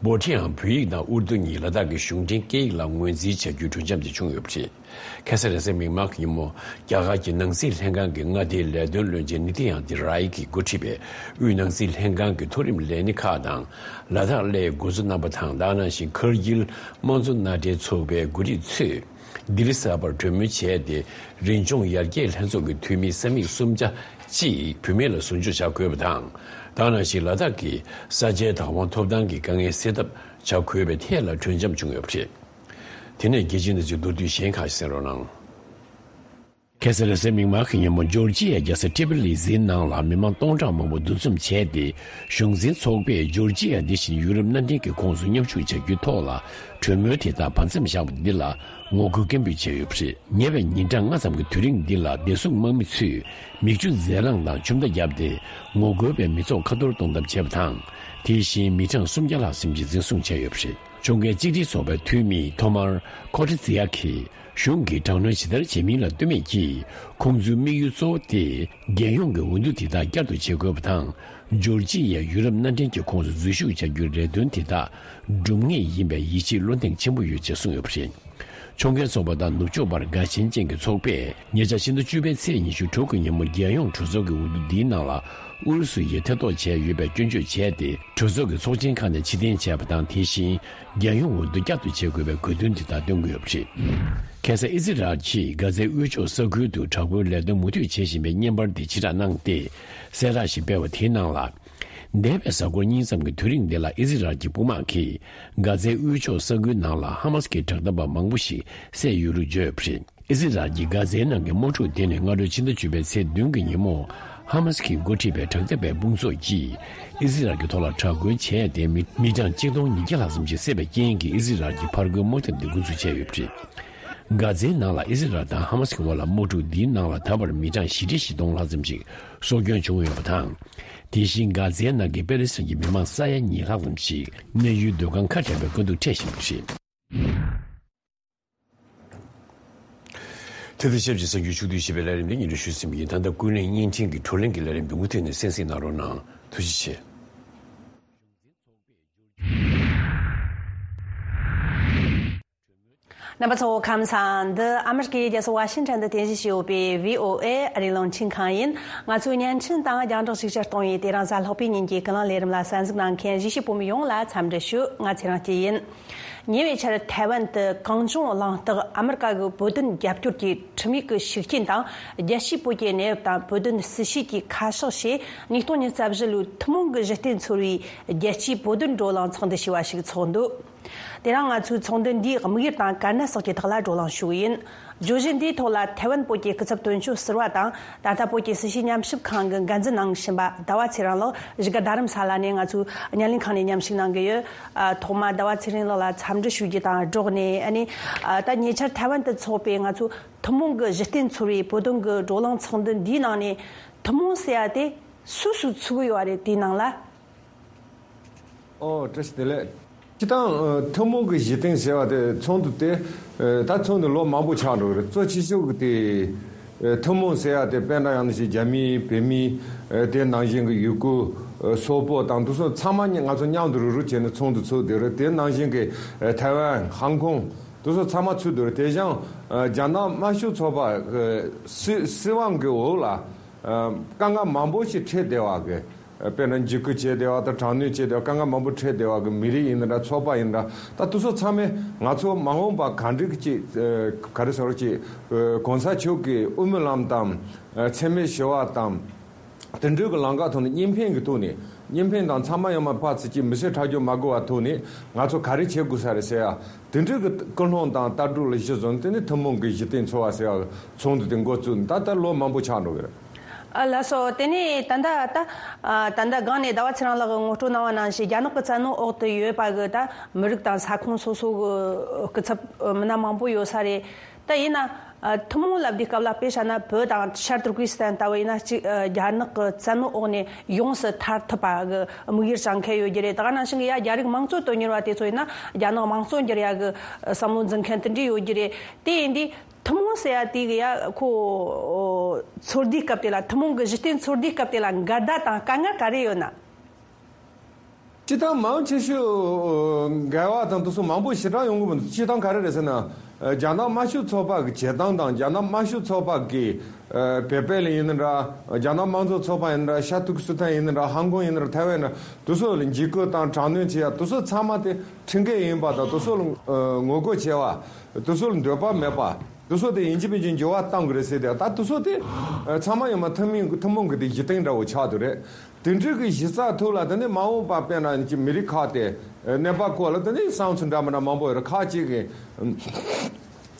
སྦོ་ཊིའམ་བོད་ཡིག་དང་ཨུར་དུ་གཉིས་ལ་དྭགས་ཀྱི་གཞུང་འབྲེལ་སྐད་ཡིག་ལ་ངོས་འཛིན་བྱ་རྒྱུའི་གྲོས་འཆམ་དེ་བྱུང་ཡོད་པ་རེད། ཁ་སང་རེས་གཟའ་མིག་དམར་གྱི་ཉིན་མོ་རྒྱ་གར་གྱི་ནང་སྲིད་ལྷན་ཁང་གི་མངའ་སྡེའི་ལས་དོན་བློན་ཆེན་ནི་ཏི་ཡང་ཏི་རའི་གིས་འགོ་ཁྲིད་པའི་དབུས་ནང་སྲིད་ལྷན་ཁང་གི་མཐོ་རིམ་ལས་སྣེ་ཁག་དང་། ལ་དྭགས་སླེབས་འགོ་འཛུགས་རྣམ་པ་དང་། ད་ག་ནང་བཞིན་ཁར་གིལ་དམངས་གཙོ་མནའ་འབྲེལ་ཚོགས་པའི་འགོ་ཁྲིད་ཚོས་ལྡི་ལི་གསར་པར་གྲོས་མོལ་བྱས་ཏེ། རིམ་བྱུང་ཡར་རྒྱས་ལྷན་ཚོགས་ཀྱི་འཐུས་མི་ས་མིག་སུམ་ཆ་གཅིག་བུད་མེད་ལ་ཟུར་འཇོག་བྱ་དགོས་པ་དང་། ད་ག་ནང་བཞིན་ལ་དྭགས་ཀྱི་ས་ཆའི་བདག་དབང་ཐོབ་ཐང་གི་དཀའ་ངལ་སེལ་ཐབས་བྱ་དགོས་པའི་ཐད་ལ་གྲོས་འཆམ་བྱུང་ཡོད་པ་རེད། དེ་ནས་རྒྱལ་སྤྱིའི་གནས་ཚུལ་མདོར་བསྡུས་གཞན་ཁག་ཅིག་གསན་རོགས་གནང་། ཁ་སང་རེས་གཟའ་མིག་དམར་གྱི་ཉིན་མོ་ཇོར་ཇི་ཡའི་རྒྱལ་ས་ཊི་བི་ལི་སིའི་ནང་ལ་མི་མང་སྟོང་ཕྲག་མང་པོ་འདུ་འཛོམས་བྱས་ཏེ། གཞུང་འཛིན་ཚོགས་པས་ཇོར་ཇི་ཡ་འདི་བཞིན་ཡུ་རོབ་མནའ་འབྲེལ་གྱི་ཁོངས་སུ་མཉམ་ཞུགས་བྱ་རྒྱུའི་ཐོག་ལ་གྲོས་མོལ་དེ་དག་བར་མཚམས་བཞག་པ་འདི་ལ་ངོ་རྒོལ་སྐད་འབོད་བྱས་ཡོད་པ་རེད། ཉེ་བའི་ཉིན་གྲངས་ལྔ་ཙམ་གྱི་དུས་རིང་འདི་ལ་བདེ་སྲུང་དམག་མི་ཚོས་མིག་ཆུ་འཛེར་ལངས་དང་ཆུ་མདའ་བརྒྱབ་སྟེ། ངོ་རྒོལ་བའི་མི་ཚོགས་ཁ་གཏོར་གཏོང་ཐབས་བྱས་པ་དང་། དེ་བཞིན་མི་གྲངས་སུམ་བརྒྱ་ལྷག་ཙམ་ཞིག་འཛིན་བཟུང་བྱས་ཡོད་པ་རེད། ཁྱོན་འགན་གཅིག་སྒྲིལ་ཚོགས་པའི་འཐུས་མི་ཐོ་མར་ཁོ་ཏི་ཙི་ཡ་གིས། གཞུང་གིས་དྲག་གནོན་ཇི་ལྟར་བྱེད་མིན་ལ་ལྟོས་མེད་ཀྱིས། ཁོང་ཚོའི་དམིགས་ཡུལ་གཙོ་བོ་དེ། རྒྱལ་ཡོངས་ཀྱི་འོས་བསྡུ་དེ་དག་བསྐྱར་དུ་བྱེད་དགོས་པ་དང་། ཇོར་ཇི་ཡའི་ཡུ་རོབ་མནའ་འབྲེལ་གྱི་ཁོངས་སུ་འཛུལ་ཞུགས་བྱ་རྒྱུའི་རེ་འདུན་དེ་དག་སྒྲུབ་ངེས་ཡིན་པའི་ཡིད་ཆེས་བློ་གདེང་ཆེན་པོ་ཡོད་ཅེས་གསུངས་ཡོད་པ་རེད། ཕྱོགས་འགལ་ཚོགས་པ་དང་ནུབ་ཕྱོགས་པར་དགའ་ཞེན་ཅན་གྱི་ཚོགས་པས་ཉེ་ཆར་ཕྱི་ཟླ་བཅུ་པའི་ཚེས་ཉི་ཤུ་དྲུག་གི་ཉིན་མོ་རྒྱལ་ཡོངས་གྲོས་ཚོགས་ཀྱི་འོས་བསྡུ་འདིའི་ནང་ལ་ཨུ་རུ་སུ་ཡིས་ཐེ་གཏོགས་བྱས་ཡོད་པའི་སྐྱོན་བརྗོད་བྱས་ཏེ། གྲོས་ཚོགས་ཀྱི་ཚོགས་ཆེན་ཁག་ནས་ཕྱིར་འཐེན་བྱས་པ་དང་། དེ་བཞིན་རྒྱལ་ཡོངས་འོས་བསྡུ་བསྐྱར་དུ་བྱེད་དགོས་པའི་དགོས་འདུན་དེ་དག་བཏོན་གྱི་ཡོད་པ་རེད། ཁ་སང་ཨི་ཟི་རལ་གྱིས་གྷ་ཛའི་དབུས་ཕྱོགས་ས་ཁུལ་དུ་དྲག་པོའི་ལས་དོན་མུ་མཐུད་བྱེད་བཞིན་པའི་བརྙན་པར་དེ་ཕྱིར་བསྒྲགས་གནང་སྟེ། གསལ་བསྒྲགས་ཤིག་སྤེལ་བ་དེའི་ནང་ལ། འདས་པའི་གཟའ་འཁོར་གཉིས་ཙམ་གྱི་དུས་རིང་འདི་ལ་ཨི་ཟི་རལ་གྱི་དཔུང་དམག་གིས་གྷ་ཛའི་དབུས་ཕྱོགས་ས་ཁུལ་ནང་ལ་ཧ་མ་སི་གི་དྲག་འཐབ་པ་མང་པོ་ཞིག་བསད་ཡོད་ལུགས་བརྗོད་ཡོད་པ་རེད། ཨི་ཟི་རལ་གྱིས་གྷ་ཛའི་ནང་གི་དམག་འཁྲུག་དེ་ནི་སྔ་དྲོ་ཕྱི་ཟླ་བཅུ་པའི་ཚེས་བདུན་གྱི་ཉིན་མོ། ཧ་མ་སི་གིས་འགོ་ཁྲིད་པའི་དྲག་འཐབ་པའི་དཔུང་ཚོགས་ཀྱིས་ཨི་ཟི་རལ་གྱི་ཐོག་ལ་དྲག་རྒོལ་བྱས་ཏེ། མི་མི་གྲངས་གཅིག་སྟོང་ཉིས་བརྒྱ་ལྷག་ཙམ་ཞིག་བསད་པའི་རྐྱེན་གྱིས། ཨི་ཟི་རལ་གྱིས་ཕར་རྒོལ་དམག་འཐབ་འདི་འགོ་འཛུགས་བྱས་ཡོད་པ་རེད། གྷ་ཛའི་ནང་ལ་ཨི་ཟི་རལ་དང་ཧ་མ་སི་གི་དབར་ལ་དམག་འཁྲུག་འདིའི་ནང་ལ་ད་བར་མི་གྲངས་བཞི་ཁྲི་བཞི་སྟོང་ལྷག་ཙམ་ཞིག་སྲོག་སྐྱོན་བྱུང་ཡོད་པ་དང་། དེ་བཞིན་གྷ་ཛའི་ནང་གི་པེ་ལི་སི་ཐན་གྱི་མི་མང་ས་ཡ་གཉིས་ལྷག་ཙམ་ཞིག་གནས་ཡུལ་སྡོད་ཁང་ཁ་བྲལ་བའི་དཀའ་སྡུག་འཕྲད་བཞིན་པ་རེད། དེ་དང་ཆབས་ཅིག་གསར་འགྱུར་ཕྱོགས་བསྡུས་ཞེས་པའི་ལས་རིམ་འདི་སྙན་སྒྲོན་ཞུས་ཟིན་པ་ཡིན། ད་ལྟ་ཀུན་གླེང་བརྙན་འཕྲིན་གྱི་བགྲོ་གླེང་གི་ལས་རིམ་འདི་མུ་མཐུད་ནས་གསན་གཟིགས་གནང་རོགས་གནང་། ཐུགས་རྗེ་ཆེ། རྣམ་པ་ཚོ་ཁམས་བཟང་། འདི་ཨ་མི་རི་ཀའི་རྒྱལ་ས་ཝ་ཤིང་ཊོན་དུ་རྟེན་གཞི་བྱས་ཡོད་པའི་བྷི་ཨོ་ཨེ་ཨ་རིའི་རླུང་འཕྲིན་ཁང་ཡིན། ང་ཚོའི་བརྙན་འཕྲིན་དང་རྒྱང་བསྒྲགས་ཤུགས་ཆེར་གཏོང་བའི་དེ་རིང་གཟའ་ལྷག་པའི་ཉིན་གྱི་ཀུན་གླེང་ལས་རིམ་ལ་གསན་གཟིགས་གནང་མཁན་གཞིས་བྱེས་བོད་མི་ཡོངས་ལ་འཚམས་འདྲི་ཞུ། ང་ཚེ་རིང་སྐྱིད་ཡིན། ཉེ་བའི་ཆར་ཐའེ་ཝན་དུ་གངས་ལྗོངས་གླེང་སྟེགས་ཨ་མི་རི་ཀ་གི་བོད་དོན་རྒྱབ་སྐྱོར་གྱི་ཁྲིམས་ཡིག་གི་ཤུགས་རྐྱེན་དང་། རྒྱལ་སྤྱིའི་བོད་ཀྱི་གནས་བབ་དང་བོད་དོན་སྲིད་བྱུས་ཀྱི་ཁ་ཕྱོགས་ཞེས་ཉིས་སྟོང་ཉི་ཤུ་རྩ་བཞི་ལོའི་ཐུན་མོང་གི་གཞི་རྟེན་ཚོར་བའི་རྒྱལ་སྤྱིའི་བོད་དོན་བགྲོ་གླེང་ཚོགས་འདུ་ཞེས་པ་ཞིག་ཚོགས་འདུ། དེ་རིང་ང་ཚོའི་ཚོགས་འདུ་འདིའི་དམིགས་ཡུལ་དང་དཀའ་གནད་སོགས་ཀྱི་ཐོག་ལ་བགྲོ་གླེང་ཞུ་གི་ཡིན། བརྗོད་གཞི་འདིའི་ཐོག་ལ་ཐའེ་ཝན་བོད་ཀྱི་སྐུ་ཚབ་དོན་གཅོད་ཟུར་པ་དང་། ད་ལྟ་བོད་ཀྱི་སྲིད་བྱུས་ཉམས་ཞིབ་ཁང་གི་འགན་འཛིན་གནང་བཞིན་པ་ཟླ་བ་ཚེ་རིང་ལགས་གཞིས་ཀ་རྡ་རམ་ས་ལ་ནས་ང་ཚོའི་བརྙན་ལེན་ཁང་ནས་མཉམ་ཞུགས་གནང་གི་ཡོད། ཨ། ཐོག་མར་ཟླ་བ་ཚེ་རིང་ལགས་ལ་འཚམས་འདྲི་ཞུ་རྒྱུ་དང་སྦྲགས་ནས། ཨ་ནི། ཨ། ད་ཉེ་ཆར་ཐའེ་ཝན་དུ་འཚོགས་པའི་ང་ཚོའི་ཐུན་མོང་གི་གཞི་རྟེན་ཚོར་བའི་བོད་དོན་གྱི་བགྲོ་གླེང་ཚོགས་འདུ་འདིའི་ནང་ནས་ཐུན་མོང་ཟེར་ཡ་དེ་སུ་སུ་ཚུད་ཀྱི་ཡོད་རེད། དེའི་ནང་ལ། ཨོ། བཀྲ་ཤིས་བདེ་ལེགས། སྤྱིར་བཏང་། ཨ། ཐུན་མོང་གི་གཞི་རྟེན་ཟེར་བ་དེ་ཚོགས་འདུ་དེ། ཨ། ད་ཚོགས་འདུ་ལོ་མང་པོ་ཆགས་འགྲོ་གི་རེད། གཙོ་ཆེ་ཤོས་ཀྱི་དེ། ཨ། ཐུན་མོང་ཟེར་ཡ་དེ་དཔེར་ན་ཡང་ན་ཞིག་རྒྱ་མི་བོད་མི། ཨ། དེ་ནང་བཞིན་གྱི་ཡུ་གུར། ཨ། སོག་པོ་དང་དེ་ཚོ་ཚང་མ་ང་ཚོ་མཉམ་དུ་རུག་རུག་བྱས་ནས་ཚོགས་འདུ་ཚོགས་བསྡད་རེད། དེ་ནང་བཞིན་གྱི། ཨ། ཐའེ་ཝན། ཧང་ཀོང་དེ་ཚོ་ཚང་མ་ཚུད་བསྡད་རེད། དེ་བཞིན། ཨ། རྒྱ་ནག་དམར་ཤོག་ཚོགས་པ་གི་སྲིད་སྲིད་དབང་གི་འོག་ལ། ཨ། དཀའ་ངལ་མང་པོ་ཞིག་འཕྲད་བསྡད་པ་གི། དཔེར་ན་འཇིགས་སྐུལ་བྱས་བསྡད་པ་དང་། དྲག་གནོན་བྱས་བསྡད་པ། དཀའ་ངལ་མང་པོ་འཕྲད་བསྡད་པ་གི་མི་རིགས་ཡིན་ན་འདྲ། ཚོགས་པ་ཡིན་ན་འདྲ། ད་དེ་ཚོ་ཚང་མས་ང་ཚོ་མ་འོངས་པ་ག་འདྲ་གི་ཅིག། ཨ། ག་རེ་ཟེར་ཅིག། ཨ། གོང་ས་མཆོག་གི་དབུ་མའི་ལམ་དང་། ཨ། འཚེ་མེད་ཞི་བ་དང་། དེ་འདྲའི་གི་ལམ་ཁ་ཐོག་ནས་གཉིས་ཕན་གྱི་ཐོག་ནས། གཉིས་ཕན་དང་། ཚང་མ་ཡོང་མ་ཕར་ཚུར་གྱི་མི་སེར་ཁྲག་སྦྱོར་མ་དགོས་པ་ཐོག་ནས་ང་ཚོ་ག་རེ་བྱེད་དགོས་ས་རེད་ཟེར་ཡ། དེ་འདྲའི་གི་ཀུན་སློང་དང་ལྟ་གྲུབ་ལ་གཞི་བཟུང་། དེ་ནས་ཐུན་མོང་གི་གཞི་རྟེན་ཚོར་བ་ཟེར་ཡ་ཚོགས་འདུ་དེ་འགོ་བཙུགས་ནས་ད་ལྟ་ལོ་མང་པོ་ཆགས་འགྲོ་གི་རེད། ཨ། ལགས་སོ། དེ་ནས་ད་ལྟ་ད། ཨ། ད་ལྟ་སྒང་ནས་ཟླ་བ་ཚེ་རིང་ལགས་ཀྱིས་ངོ་སྤྲོད་གནང་བ་ནང་བཞིན། རྒྱ་ནག་གི་བཙན་གནོན་འོག་ཏུ་ཡོད་པ་གི་ད་མི་རིགས་དང་ས་ཁོངས་སོ་སོ་གི་སྐུ་ཚབ་མི་སྣ་མང་པོ་ཡོད་ས་རེད། ད་ཡིན་ན། ཨ། ཐུན་མོང་ལབ་དུས་སྐབས་ལ་དཔེ་བཞག་ན་བོད་དང་ཤར་ཏུར་ཀི་སི་ཐན་ལྟ་བུ་ཡིན་ན་གཅིག། ཨ། རྒྱ་ནག་གི་བཙན་གནོན་འོག་ནས་ཡོངས་སུ་ཐར་ཐུབ་པ་གི་དམིགས་ཡུལ་བཞག་མཁན་ཡོད་ཀྱི་རེད། ད་ག་ནང་བཞིན་གྱི་ཡ་རྒྱ་རིགས་དམངས་གཙོ་དོན་གཉེར་བ་དེ་ཚོ་ཡིན་ན་རྒྱ་ནག་དམངས་གཙོ་འགྱུར་ཡ་གི་བསམ་བློ་འཛིན་མཁན་དེ་འདྲ་ཡོད་ཀྱི་རེད། དེ་ཡིན་དུས་ཐུན་མོང་ཟེར་ཡ་དེ་གི་ཡ་ཁོ་ཚོར་དུས་སྐབས་དེ་ལ། ཐུན་མོང་གི་གཞི་རྟེན་ཚོར་དུས་སྐབས་དེ་ལ་འགལ་ཟླ་དང་དཀའ་ངལ་ག་རེ་ཡོད་ན། སྤྱིར་བཏང་མང་ཆེ་ཤོས་འགལ་བ་དང་དེ་ཚོ་མང་པོ་ཞེ་དྲག་ཡོང་གི་མི་འདུག་སྤྱིར་བཏང་ག་རེ་རེད་ཟེར་ན། རྒྱ་ནག་དམར་ཤོག་ཚོགས་པ་གི་བྱེད་སྟངས་དང་། རྒྱ་ནག་དམར་ཤོག་ཚོགས་པ་གི། ཨ། བོད་པ་ལ་ཡིན་ན་འདྲ། རྒྱ་ནག་དམངས་གཙོ་ཚོགས་པ་ཡིན་ན་འདྲ། ཤར་ཏུར་ཀི་སི་ཐན་ཡིན་ན་འདྲ། ཧང་ཀོང་ཡིན་ན་འདྲ། ཐའེ་ཝན་ཡིན་ན་འདྲ། དེ་ཚོ་ལ་འཇིགས་སྐུལ་དང་དྲག་གནོན་བྱེད་ཡ་དེ་ཚོ་ཚང་མ་དེ་ཁྲིམས་འགལ་ཡིན་པ་དང་། དེ་ཚོ་ལ་ངོ་རྒོལ་བྱེད་པ། དེ་ཚོ་ལ་འདོད་པ་མེད་པ། དེ་ཚོ་དེ་ཡིན་གཅིག་མིན་གཅིག་འགྱུར་བ་གཏོང་གི་རེད་ཟེར་ཏེ། ད་དེ་ཚོ་དེ་ཚང་མ་ཡོང་མ་ཐུན་མིན་གྱི་ཐུན་མོང་གི་དེ་གཞི་རྟེན་འདྲ་བོ་ཆགས་འདུག་རེད། དེ་འདྲའི་གི་གཞི་རྩ་ཐོག་ལ་དེ་ནས་མ་འོངས་པ་དཔེར་ན་ཅིག་མི་རིགས་ཁག་དེ་གནས་བབ་སྐོར་ལ་དེ་ནས་བསམ་ཚུལ་འདྲ་མི་འདྲ་མང་པོ་ཡོད་རེད། ཁག་ཅིག་གིས་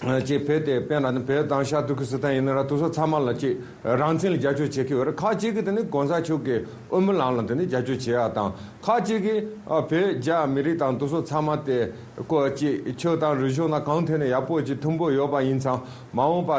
ཅིག་བོད་དེ་དཔེར་ན་ནི་བོད་དང་ཤར་ཏུར་ཀི་སི་ཐན་ཡིན་ན་ར་དེ་ཚོ་ཚང་མ་ལ་ཅིག་རང་བཙན་ལ་རྒྱབ་སྐྱོར་བྱེད་ཀྱི་ཡོད་རེད། ཁག་ཅིག་གིས་དེ་ནི་གོང་ས་མཆོག་གི་དབུ་མའི་ལམ་ལ་དེ་ནི་རྒྱབ་སྐྱོར་བྱེད་ཡ་དང་། ཁག་ཅིག་གིས་ཨ་བོད་རྒྱ་མི་རིགས་དང་དེ་ཚོ་ཚང་མ་དེ་ཀོ་ཅིག་ཆོས་དང་རིག་གཞུང་དང་གང་ཐད་ནས་ཡག་པོ་ཅིག་མཐུན་པོ་ཡོད་པ་ཡིན་ཙང་། མ་འོངས་པ་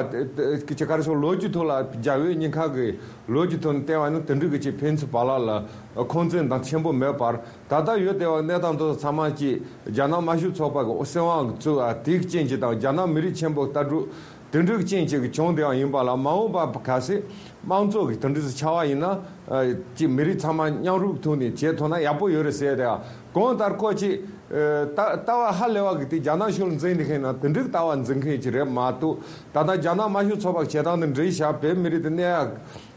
ཅིག་ག་རེ་ཟེར། ལོ་རྒྱུས་ཐོག་ལ་རྒྱ་བོད་གཉིས་ཁག་གི་ལོ་རྒྱུས་ཐོག་ནས་བལྟས་པ་ཡིན་ན་དེ་འདྲ་གི་ཅིག་ཕན་ཚུན་བར་ལ་ལ་འཁོན་འཛིན་དང་ཆེན་པོ་མེད་པར། ད་ལྟ་ཡོད་བསྡད་པ་གནས་སྟངས་དེ་ཚོ་ཚང་མ་ཅིག་རྒྱ་ནག་དམར་ཤོག་ཚོགས་པ་གི་སྲིད་དབང་གི་བཙུགས་པ་དེའི་རྐྱེན་གྱིས་དང་། རྒྱ་ནག་མི་རིགས་ཆེན་པོ་ལྟ་གྲུབ་དེ་འདྲའི་རྐྱེན་གྱིས་བྱུང་བསྡད་པ་ཡིན་པ་ལ། མ་འོངས་པ་གལ་སྲིད་དམངས་གཙོ་གི་དེ་འདྲ་ཞིག་ཆགས་པ་ཡིན་ན། ཨ་ཅིག་མི་རིགས་ཚང་མ་མཉམ་རུབ་ཐོག་ནས་བྱེད་ཐུབ་ན་ཡག་པོ་ཡོད་རེད་ཟེར་ཏེ། གང་ལྟར་ཁོ་ཅིག་ཨ་ལྟ་ལྟ་བ་ཧ་ལས་པ་གི་དེ་རྒྱ་ནག་གཞུང་ལ་འཛིན་བསྡད་མཁན་ན་དེ་འདྲའི་ལྟ་བ་འཛིན་མཁན་ཅིག་རེད་མ་གཏོགས། ད་ལྟ་རྒྱ་ནག་དམར་ཤོག་ཚོགས་པ་གི་བྱེད་སྟངས་དེ་འདྲ་ཞིག་བོད་མི་རིགས་དེ་གནས་ཡག་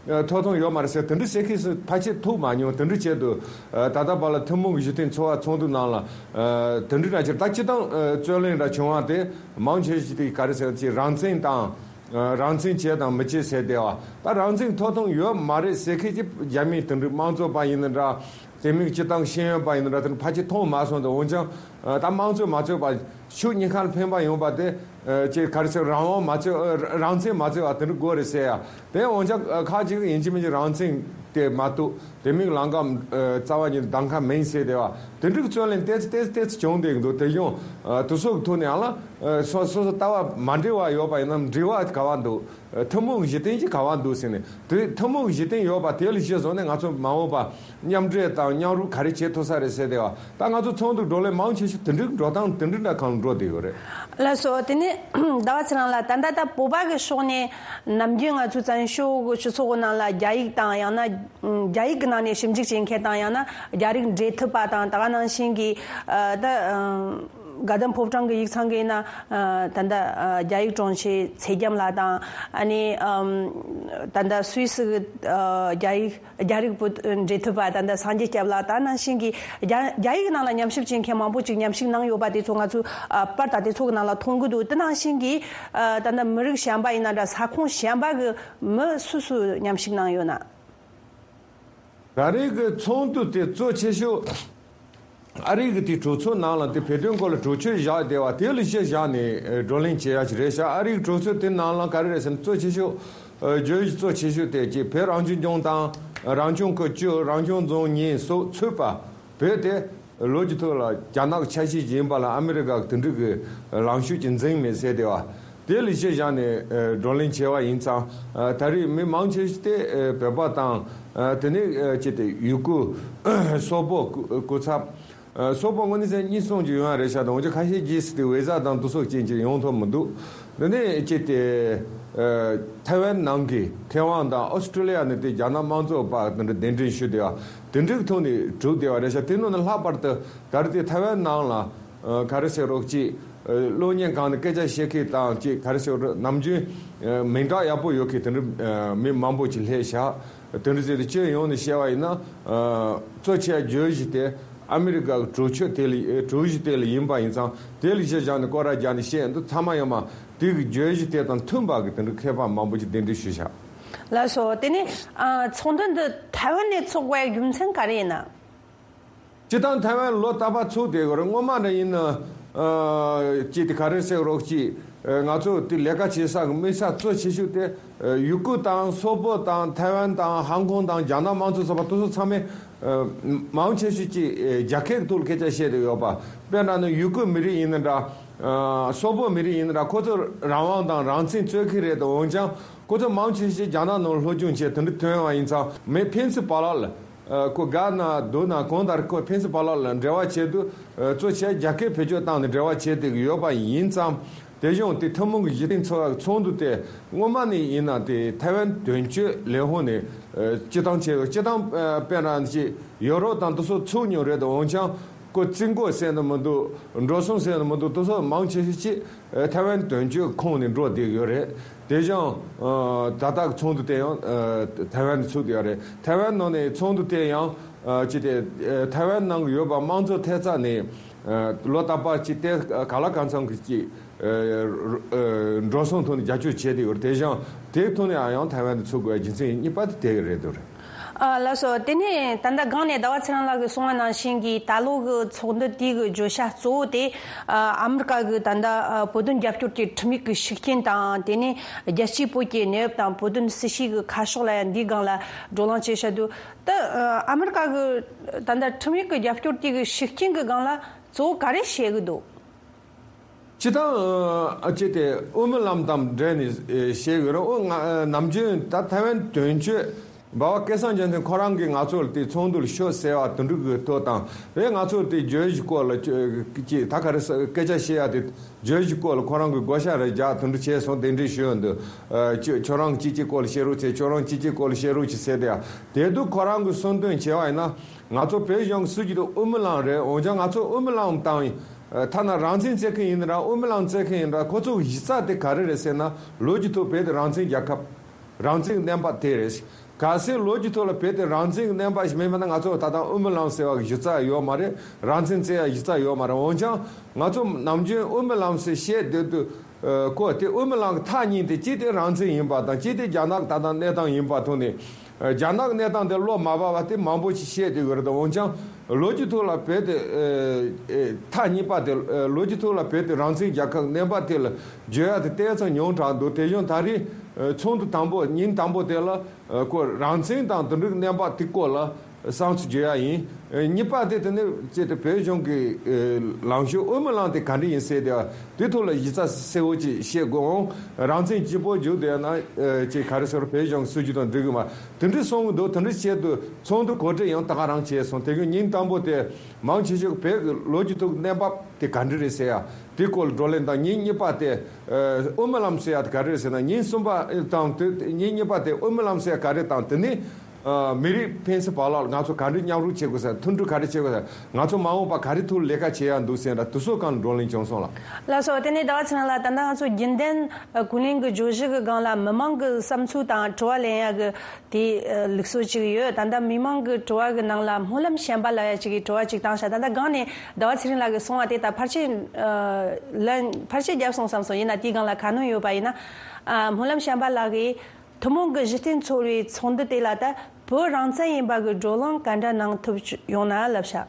ཨ་ཐོབ་ཐང་ཡོད་མ་རེད་ཟེར། དེ་འདྲ་བཤད་མཁན་སུ་ཕལ་ཆེར་ཐུག་མ་མྱོང་། དེ་འདྲ་བྱས་འདུག་ཨ་ད་ལྟ་བར་ལ་ཐུན་མོང་གི་གཞི་རྟེན་འཚོ་བ་ཚོགས་འདུ་ནང་ལ་ཨ་དེ་འདྲ་ན་ཅིག་ད་སྤྱིར་བཏང་ཨ་རྩོད་གླེང་འདྲ་བྱུང་བ་དེ་མང་ཆེ་ཤོས་དེ་ག་རེ་ཟེར་ཅིག་རང་བཙན་དང་ཨ་རང་བཙན་བྱས་དང་མི་བྱས་ཟེར་བསྡད་པ། ད་རང་བཙན་ཐོབ་ཐང་ཡོད་མ་རེད་ཟེར་མཁན་ཅིག་རྒྱ་མི་དེ་འདྲ་དམངས་གཙོ་པ་ཡིན་ན་འདྲ། དེ་མིན་སྤྱིར་བཏང་ཤེས་ཡོན་པ་ཡིན་ན་འདྲ། དེ་འདྲ་ཕལ་ཆེར་མཐོང་མ་སོང་། དེ་འོན་ཀྱང་ཨ་ད་དམངས་གཙོ་མ་རྩོད་པ་ཕྱོགས་གཉིས་ཀ་ལ་ཕན་པ་ཡོང་བ་དེ། ཨ་ཅིག་ག་རེ་ཟེར། རང་དབང་མ་རྩོད། ཨ་རང་བཙན་མ་རྩོད་པ་དེ་འདྲ་དགོས་རེད་ཟེར་ཡ། དེ་འོན་ཀྱང་ཨ་ཁ་ཅིག་ཡིན་གཅིག་མིན་གཅིག་རང་བཙན་དེ་མ་གཏོགས་དེ་མིན་ལམ་ཁ་ཨ་རྩ་བ་ཉིད་གདམ་ཁ་མིན་ཟེར་བསྡད་པ། དེ་འདྲའི་རྩོད་གླེང་ཏོག་ཙམ་ཏོག་ཙམ་ཏོག་ཙམ་བྱུང་བསྡད་ཀྱི་འདུག་དེ་ཡང་ཨ་དེ་ཚོ་གི་ཐོག་ནས་ཡང་ལ་ཨ་སོ་སོ་སོ་ལྟ་བ་མ་འདྲེས་པ་ཡོད་པ་ཡིན་ན་འབྲེལ་བ་ག་བ་འདུག་ཨ་ཐུན་མོང་གི་གཞི་རྟེན་གྱི་ག་བ་འདུག་ཟེར་ནས། དེ་ཐུན་མོང་གི་གཞི་རྟེན་ཡོད་པ་དེ་ལ་གཞི་བཟུང་ནས་ང་ཚོ་མ་འོངས་པ་མཉམ་འབྲེལ་དང་མཉམ་རུབ་ག་རེ་བྱེད་ཐུབ་ས་རེད་ཟེར་བསྡད་པ། ད་ང་ཚོ་ཚོགས་འདུ་བགྲོ་གླེང་མང་ཆེ་ཤོས་དེ་འདྲའི་འགྲོ་སྟངས་དེ་འདྲའི་འདྲ་གང་འགྲོ་བསྡད་ཡོད་རེད། ལགས་སོ། དེ་ནས་ཟླ་བ་ཚེ་རིང་ལགས། ད་ལྟ་ད་བོད་པ་གི་ཕྱོགས་ནས་ནམ་རྒྱུན་ང་ཚོ་བཙན་བྱོལ་གི་སྤྱི་ཚོགས་གི་ནང་ལ་རྒྱ་ཡིག་དང་ཡང་ན་རྒྱ་ཡིག་གི་ནང་ནས་ཞིབ་འཇུག་བྱེད་མཁན་དང་། ཡང་ན་རྒྱ་རིགས་འབྲེལ་མཐུད་པ་དང་། ད་ག་ནང་བཞིན་གྱི་ཨ་ད་ཨ་དགའ་ལྡན་ཕོ་བྲང་གི་ཡིག་ཚང་གི་ཡིན་ན་ཨ་ད་ལྟ་ཨ་རྒྱ་ཡིག་དྲུང་ཆེ་ཚེ་རྒྱམ་ལགས་དང་། ཨ་ནི་ཨམ་ད་ལྟ་སུད་སི་གི་ཨ་རྒྱ་ཡིག་རྒྱ་རིགས་པོ་འབྲེལ་མཐུད་པ་ད་ལྟ་སངས་རྒྱས་སྐྱབས་ལགས་དང་། ནང་བཞིན་གྱི་རྒྱ་རྒྱ་ཡིག་ནང་ལ་ཉམས་ཞིབ་བྱེད་མཁན་མང་པོ་ཅིག་ཉམས་ཞིབ་གནང་ཡོད་པ་དེ་ཚོ་ང་ཚོས་ཨ་པར་དང་དེ་ཚོ་གི་ནང་ལ་མཐོང་གི་འདུག་དེ་ནང་བཞིན་གྱི་ཨ་ད་ལྟ་མི་རིགས་གཞན་པ་ཡིན་ན་འདྲ། ས་ཁོངས་གཞན་པ་གི་མི་སུ་སུ་ཉམས་ཞིབ་གནང་ཡོད་ན། ད་རེས་ཀྱི་ཚོགས་འདུ་དེ་གཙོ་ཆེ་ཤོས་ཨ་རི་གི་དེ་གྲོས་ཚོགས་ནང་ལ་དེ་བོད་དོན་སྐོར་ལ་གྲོས་ཆོད་བཞག་བསྡད་པ་དེ་ལ་གཞི་བཞག་ནས་ཨ་བགྲོ་གླེང་བྱེད་ཡ་ཞིག་རེད་ཤག་ཨ་རིའི་གྲོས་ཚོགས་དེ་ནང་ལ་ག་རེ་རེད་ཟེར་ན། གཙོ་ཆེ་ཤོས་ཨ་བརྗོད་གཞི་གཙོ་ཆེ་ཤོས་དེ་ཅིག་བོད་རང་སྐྱོང་ལྗོངས་དང་རང་སྐྱོང་ཁུལ་བཅུ། རང་སྐྱོང་རྫོང་གཉིས་སོགས་ཚུད་པ། བོད་དེ་ལོ་རྒྱུས་ཐོག་ལ་རྒྱ་ནག་གི་ཆ་ཤས་ཤིག་ཡིན་པ་ལ་ཨ་མི་རི་ཀ་གི་དེ་འདྲ་གི་ལངས་ཕྱོགས་ཅིག་འཛིན་མེད་ཟེར་བསྡད་པ། དེ་ལ་གཞི་བཞག་ནས་ཨ་བགྲོ་གླེང་བྱས་པ་ཡིན་ཙང་། ཨ་ད་རེས་མི་མང་ཆེ་ཤོས་དེ་ཨ་བོད་པ་དང་། ཨ་དེ་ནས་ཨ་ཅིག་དེ་ཡུ་གུར། སོག་པོ། སྐུ་སྐུ་ཚབ། ཨ་སོག་པོ་དངོས་གནས་བྱས་ན་གཉིས་གསུམ་ཅིག་ཡོང་ཡ་རེད་ཤག་དང་། འོན་ཀྱང་ཁ་ཤས་ཀྱིས་དེ་བི་ཟ་དང་དེ་སོགས་རྐྱེན་གྱིས་ཡོང་ཐུབ་མི་འདུག་དེ་ནས་ཅིག་དེ་ཨ་ཐའེ་ཝན་ནང་གི་ཐའེ་ཝན་དང་ཨོ་སི་ཀྲི་ལི་ཡ་ནས་དེ་རྒྱ་ནག་དམངས་གཙོ་པ་དེ་འདྲ་གདན་འདྲེན་ཞུས་བསྡད་པ་དེ་འདྲའི་ཐོག་ནས་གྲུབ་བསྡད་པ་རེད་ཤག་དེ་ནང་ནས་ལྷག་པར་དུ་ད་རེས་དེ་ཐའེ་ཝན་ནང་ལ་ཨ་ག་རེ་ཟེར་རོགས་ཅིག་ཨ་གློག་བརྙན་སྒང་ནས་སྐད་ཆ་བཤད་མཁན་དང་ཅིག་ག་རེ་ཟེར་རོགས། ནམ་རྒྱུན་ཨ་མིང་གྲགས་ཡག་པོ་ཡོད་མཁན་དེ་འདྲ་ཨ་མི་མང་པོ་ཅིག་སླེབས་ཤག་དེ་འདྲ་ཟེར་ཏེ་སྤྱི་ཡོངས་ནས་བཤད་པ་ཡིན་ན། ཨ་གཙོ་ཆེ་བརྗོད་གཞི་དེ་ཨ་མི་རི་ཀ་གི་གྲོས་ཆོད་དེ་ལ། ཨ་གྲོས་གཞི་དེ་ལ་ཡིན་པ་ཡིན་ཙང་། དེ་ལ་གཞི་བཞག་ནས་སྐོར་ར་རྒྱག་ནས་བཤད་འདུག་ཚང་མ་ཡོད་མ། དེ་གི་བརྗོད་གཞི་དེ་དང་མཐུན་པ་གི་དེ་འདྲ་མཁས་པ་མང་པོ་ཅིག་གདན་འདྲེན་ཞུས་ཤག་ལགས་སོ། དེ་ནས་ཨ་ཚོགས་འདུ་འདི་ཐའེ་ཝན་ནས་ཚོགས་དགོས་རྒྱུ་མཚན་ག་རེ་ཡིན་ན། སྤྱིར་བཏང་ཐའེ་ཝན་ལོ་རྟག་པར་ཚོགས་བསྡད་ཡོད་རེད། སྔོན་མ་འདྲ་ཡིན་ན་ཨ་ཅིག་དེ་ག་རེ་ཟེར་རོགས་ཅིག་ཨ་ང་ཚོ་དེ་ལས་ཀ་བྱེད་ས་གི་དམིགས་ས་གཙོ་ཆེ་ཤོས་དེ་ཨ་ཡུ་གུར་དང་སོག་པོ་དང་ཐའེ་ཝན་དང་ཧང་ཀོང་དང་རྒྱ་ནག་དམངས་གཙོ་ཚོགས་པ་དེ་ཚོ་ཚང་མས་ཨ་མང་ཆེ་ཤོས་ཅིག་ཨ་རྒྱ་སྐད་ཀྱི་ཐོག་ལ་སྐད་ཆ་བཤད་བསྡད་ཡོད་པ། དཔེར་ན་ནི་ཡུ་གུར་མི་རིགས་ཡིན་ན་འདྲ། ཨ་སོག་པོ་མི་རིགས་ཡིན་ན་འདྲ། ཁོ་ཚོ་རང་དབང་དང་རང་བཙན་རྩོད་མཁན་རེད་དོ། འོན་ཀྱང་ཁོ་ཚོ་མང་ཆེ་ཤོས་རྒྱ་ནག་ནང་སློབ་སྦྱོང་བྱས་དེ་འདྲ་ཐོན་པ་ཡིན་ཙང་། མི་ཕན་ཚུན་བར་ལ་ལ་ཨ་ཁོ་དགའ་ན་སྡུག་ན་གང་ལྟར་ཁོ་ཕན་ཚུན་བར་ལ་ལ་འབྲེལ་བ་བྱེད་དུས་ཨ་གཙོ་ཆེ་རྒྱ་སྐད་བེད་སྤྱོད་བཏང་ནས་འབྲེལ་བ་བྱེད་བསྡད་ཀྱི་ཡོད་པ་ཡིན་ཙང་། དེ་བཞིན་དེ་ཐུན་མོང་གི་གཞི་རྟེན་འཚོ་བའི་ཚོགས་འདུ་དེ་སྔོན་མ་ནས་ཡིན་ན་དེ་ཐའེ་ཝན་དོན་གཅོད་ལས་ཁུངས་ནས་ཨ་སྤྱི་བཏང་བྱས་ཡོད། སྤྱི་བཏང་ཨ་དཔེར་ན་ཅིག་ཡོ་རོབ་དང་དེ་ཚོ་ཚུགས་མྱོང་རེད་དོ། འོན་ཀྱང་ཁོ་རྩིས་འགོ་ཟེར་ནི་མི་འདུག་འགྲོ་སོང་ཟེར་ནི་མི་འདུག་དེ་ཚོ་མང་ཆེ་ཤོས་ཅིག་ཨ་ཐའེ་ཝན་དོན་གཅོད་ཁོངས་ནས་འགྲོ་བསྡད་ཡོད་རེད། དེ་བཞིན་ཨ་ད་ལྟ་ཚོགས་འདུ་དེ་ཡང་ཨ་ཐའེ་ཝན་ནས་ཚུགས་བསྡད་ཡོད་རེད། ཐའེ་ཝན་ནང་ནས་ཚོགས་འདུ་དེ་ཡང་ཨ་ཅི་དེ་ཨ་ཐའེ་ཝན་ནང་ཡོད་པ་དམངས་གཙོ་ཐེབས་རྩ་ནས་ཨ་ལོ་རྟག་པར་ཅིག་དེ་ག་ལ་གང་འཚམ་གྱི་ཅིག་ཨ་ཨ་འགྲོ་སོང་ཐོག་ནས་རྒྱབ་སྐྱོར་བྱས་བསྡད་ཡོད་རེད། དེ་བཞིན་དེའི་ཐོག་ནས་ཡང་ཐའེ་ཝན་དུ་ཚུགས་དགོས་རྒྱུ་མཚན་གཉིས་པ་དེ་དེ་རེད་འདུག་རེད། ཨ་ལགས་སོ། དེ་ནས་ད་ལྟ་སྒང་ནས་ཟླ་བ་ཚེ་རིང་ལགས་ཀྱིས་གསུངས་པ་ནང་བཞིན་གྱི་ད་ལོ་གི་ཚོགས་འདུ་དེའི་གི་བརྗོད་བྱ་གཙོ་བོ་དེ་ཨ་ཨ་མི་རི་ཀ་གི་ད་ལྟ་ཨ་བོད་དོན་རྒྱབ་སྐྱོར་གྱི་ཁྲིམས་ཡིག་གི་ཤུགས་རྐྱེན་དང་། དེ་ནས་རྒྱལ་སྤྱིའི་བོད་ཀྱི་གནས་བབ་དང་བོད་དོན་སྲིད་བྱུས་ཀྱི་ཁ་ཕྱོགས་ལ་ཡང་འདིའི་སྒང་ལ་བགྲོ་གླེང་བྱས་བཞག་འདུག་ད་ཨ་ཨ་མི་རི་ཀ་གི་ད་ལྟ་ཁྲིམས་ཡིག་གི་རྒྱབ་སྐྱོར་དེ་གི་ཤུགས་རྐྱེན་གྱི་སྒང་ལ་གཙོ་བོ་ག་རེ་བཤད་གི་འདུག་སྤྱི་བཏང་ཨ་ཅེ་དེ་དབུ་མའི་ལམ་དང་འབྲེལ་ནས་ཨེ་བཤད་ཡོད་རེད། ཨོ་ང་ཨ་ནམ་རྒྱུན་ད་ཐའེ་ཝན་དོན་གཅོད་འབའ་བ་སྐལ་བཟང་འཇམ་དོན་ཁོ་རང་གིས་ང་ཚོ་ལ་དེ་ཚོགས་འདུ་ལ་ཤོག་ཟེར་བ་དེ་འདྲ་གི་ཐོག་དང་། རེད། ང་ཚོ་དེ་བརྗོད་གཞི་སྐོར་ལ་ཅེ་ད་ག་རེ་ཟེར་སྐད་ཆ་བཤད་ཡ་དེ་བརྗོད་གཞི་སྐོར་ལ་ཁོ་རང་གིས་བགོ་བཤའ་རེ་རྒྱག་དེ་འདྲ་བྱས་སོང་། གདན་འདྲེན་ཞུས་ཡོད་འདུག་ཨ་ཅེ་ཁྱོད་རང་གིས་ཅི་ཅི་སྐོར་ལ་བཤད་རོགས་བྱེད། ཁྱོད་རང་གིས་ཅི་ཅི་སྐོར་ལ་བཤད་རོགས་བྱེད་ཟེར་དེ་ཡ། དེ་དུས་ཁོ་རང་གིས་གསུངས་དོན་བྱས་པ་ཡིན་ན། ང་ཚོ་བོད་གཞུང་གི་སྲིད་ཇུས་དེ་དབུ་མའི་ལམ་རེད། འོན་ཀྱང་ང་ཚོ་དབུ་མའི་ལམ་དང་ཐ་ན་རང་བཙན་རྩོད་མཁན་ཡིན་ན་ར་དབུ་མའི་ལམ་རྩོད་མཁན་ཡིན་ན་ར་ཁོ་ཚོ་གི་གཞི་རྩ་དེ་ག་རེ་རེད་ཟེར་ན། ལོ་རྒྱུས་ཐོག་བོད་དེ་རང་བཙན་རྒྱལ་ཁབ། རང་བཙན་གནས་བབ་དེ་རེད། གལ་སྲིད་ལོ་རྒྱུས་ཐོག་ལ་བོད་དེ་རང་བཙན་གནས་བབ་ཞིག་མེད་པ་ན་ང་ཚོ་ད་ལྟ་དབུ་མའི་ལམ་ཟེར་བ་གི་གཞི་རྩ་ཡོད་མ་རེད། རང་བཙན་རྩོད་ཡ་གཞི་རྩ་ཡོད་མ་རེད། འོན་ཀྱང་ང་ཚོ་ནམ་རྒྱུན་དབུ་མའི་ལམ་ཟེར་བཤད་སྡོད་དུས་ཨ་ཁོ་དེ་དབུ་མའི་ལམ་གི་ཐག་གཉིས་དེ་གཅིག་དེ་རང་བཙན་ཡིན་པ་དང་། གཅིག་དེ་རྒྱ་ནག་གི་ད་ལྟ་གནས་སྟངས་ཡིན་པ་ཐོག་ནས། རྒྱ་ནག་གནས་སྟངས་དེ་བློ་མ་བབས་པ་དེ་མང་པོ་ཞིག་བཤད་དེ་ཡོད་རེད། འོན་ཀྱང་ལོ་རྒྱུས་ཐོག་ལ་བོད་དེ་ཐག་གཉིས་པ་དེ། ལོ་རྒྱུས་ཐོག་ལ་བོད་དེ་རང་བཙན་རྒྱལ་ཁབ་གནས་བབ་དེ་ལ་བརྗོད་ཡ་དེ་ཏོག་ཙམ་ཉུང་དྲགས་འདུག་དེ་བཞིན་ད་རེས་ཚོགས་འདུ་དང་པོ་ཉིན་དང་པོ་དེ་ལ་ཁོ་རང་བཙན་དང་དེ་འདྲའི་གནས་བབ་དེ་སྐོར་ལ་བསམ་ཚུལ་བརྗོད་ཡ་ཡིན། གཉིས་པ་དེ་དེ་ནས་ཅེ་དེ་བོད་གཞུང་གི་ལངས་ཕྱོགས་དབུ་མའི་ལམ་དེ་ག་འདྲ་ཡིན་ཟེར་དེ་དེ་ཐོག་ལ་གཞི་རྩ་གསལ་བོ་ཅིག་བཤད་དགོས་འོང་། རང་བཙན་གཅིག་པོ་བརྗོད་བསྡད་ན་ཅེ་ག་རེ་ཟེར་བོད་གཞུང་གི་སྲིད་ཇུས་དང་འགྲིག་གི་མ། དེ་འདྲ་གསུང་གི་འདུག་དེ་འདྲ་བྱས་དུས་ཚོགས་འདུ་གོ་སྒྲིག་ཡང་ད་ག་རང་བྱས་སོང་། དེ་གི་ཉིན་དང་པོ་དེ་མང་ཆེ་ཤོས་བོད་ཀྱི་ལོ་རྒྱུས་ཐོག་གནས་བབ་དེ་ག་འདྲ་རེད་ཟེར་ཡ་དེ་སྐོར་ལ་བགྲོ་གླེང་དང་། ཉིན་གཉིས་པ་དེ་དབུ་མའི་ལམ་ཟེར་ཡ་དེ་ག་རེ་རེད་ཟེར་ན། ཉིན་གསུམ་པ་དང་དེ་ཉིན་གཉིས་པ་དེ་དབུ་མའི་ལམ་ཟེར་ཡ་ག་རེ་དང་། དེ་ནས་མི་རིགས་ཕན་སེམས་བར་ལ་ང་ཚོ་ག་འདྲ་མཉམ་རུབ་བྱེད་དགོས་ཟེར། མཐུན་སྒྲིལ་ག་རེ་བྱེད་དགོས་ཟེར། ང་ཚོ་མ་འོངས་པ་ག་རེ་ཐུགས་ལས་ཀ་བྱེད་ཡ་འདུག་ཟེར་འདྲ་དེ་ཚོ་སྒང་ལ་བགྲོ་གླེང་བྱུང་སོང་ལགས། ལགས་སོ། དེ་ནས་ཟླ་བ་ཚེ་རིང་ལགས། ད་ལྟ་ང་ཚོ་རྒྱུན་ལྡན་ཀུན་གླེང་གི་བརྗོད་གཞི་གི་སྒང་ལ་མི་མང་གི་བསམ་ཚུལ་དང་དྲི་བ་ལེན་ཡ་གི་དེ་ལུགས་སྲོལ་ཅིག་ཡོད། ད་ལྟ་མི་མང་གི་དྲི་བ་གི་ནང་ལ་སྨོན་ལམ་བྱམས་པ་ལགས་ཡ་ཅིག་གིས་དྲི་བ་ཅིག་བཏང་ཤག་ད་ལྟ་སྒང་ནས་ཟླ་བ་ཚེ་རིང་ལགས་ཀྱིས་གསུངས་པ་དེ་ད་ཕལ་ཆེར་ལན་ཕལ་ཆེར་བརྒྱབ་སོང་བསམ་སོང་། ཡིན་ན་དེའི་སྒང་ལ་ཁ་སྣོན་ཡོད་པ་ཡིན་ན། སྨོན་ལམ་བྱམས་པ་ལགས་ཀྱིས། ཐུན་མོང་གི་གཞི་རྟེན་འཚོལ་བའི་ཚོགས་འདུ་དེ་ལ་ད་བོད་རང་བཙན་ཡིན་པ་གི་བགྲོ་གླེང་ག་འདྲ་གནང་ཐུབ་ཡོང་ན་ལབ་ཤག་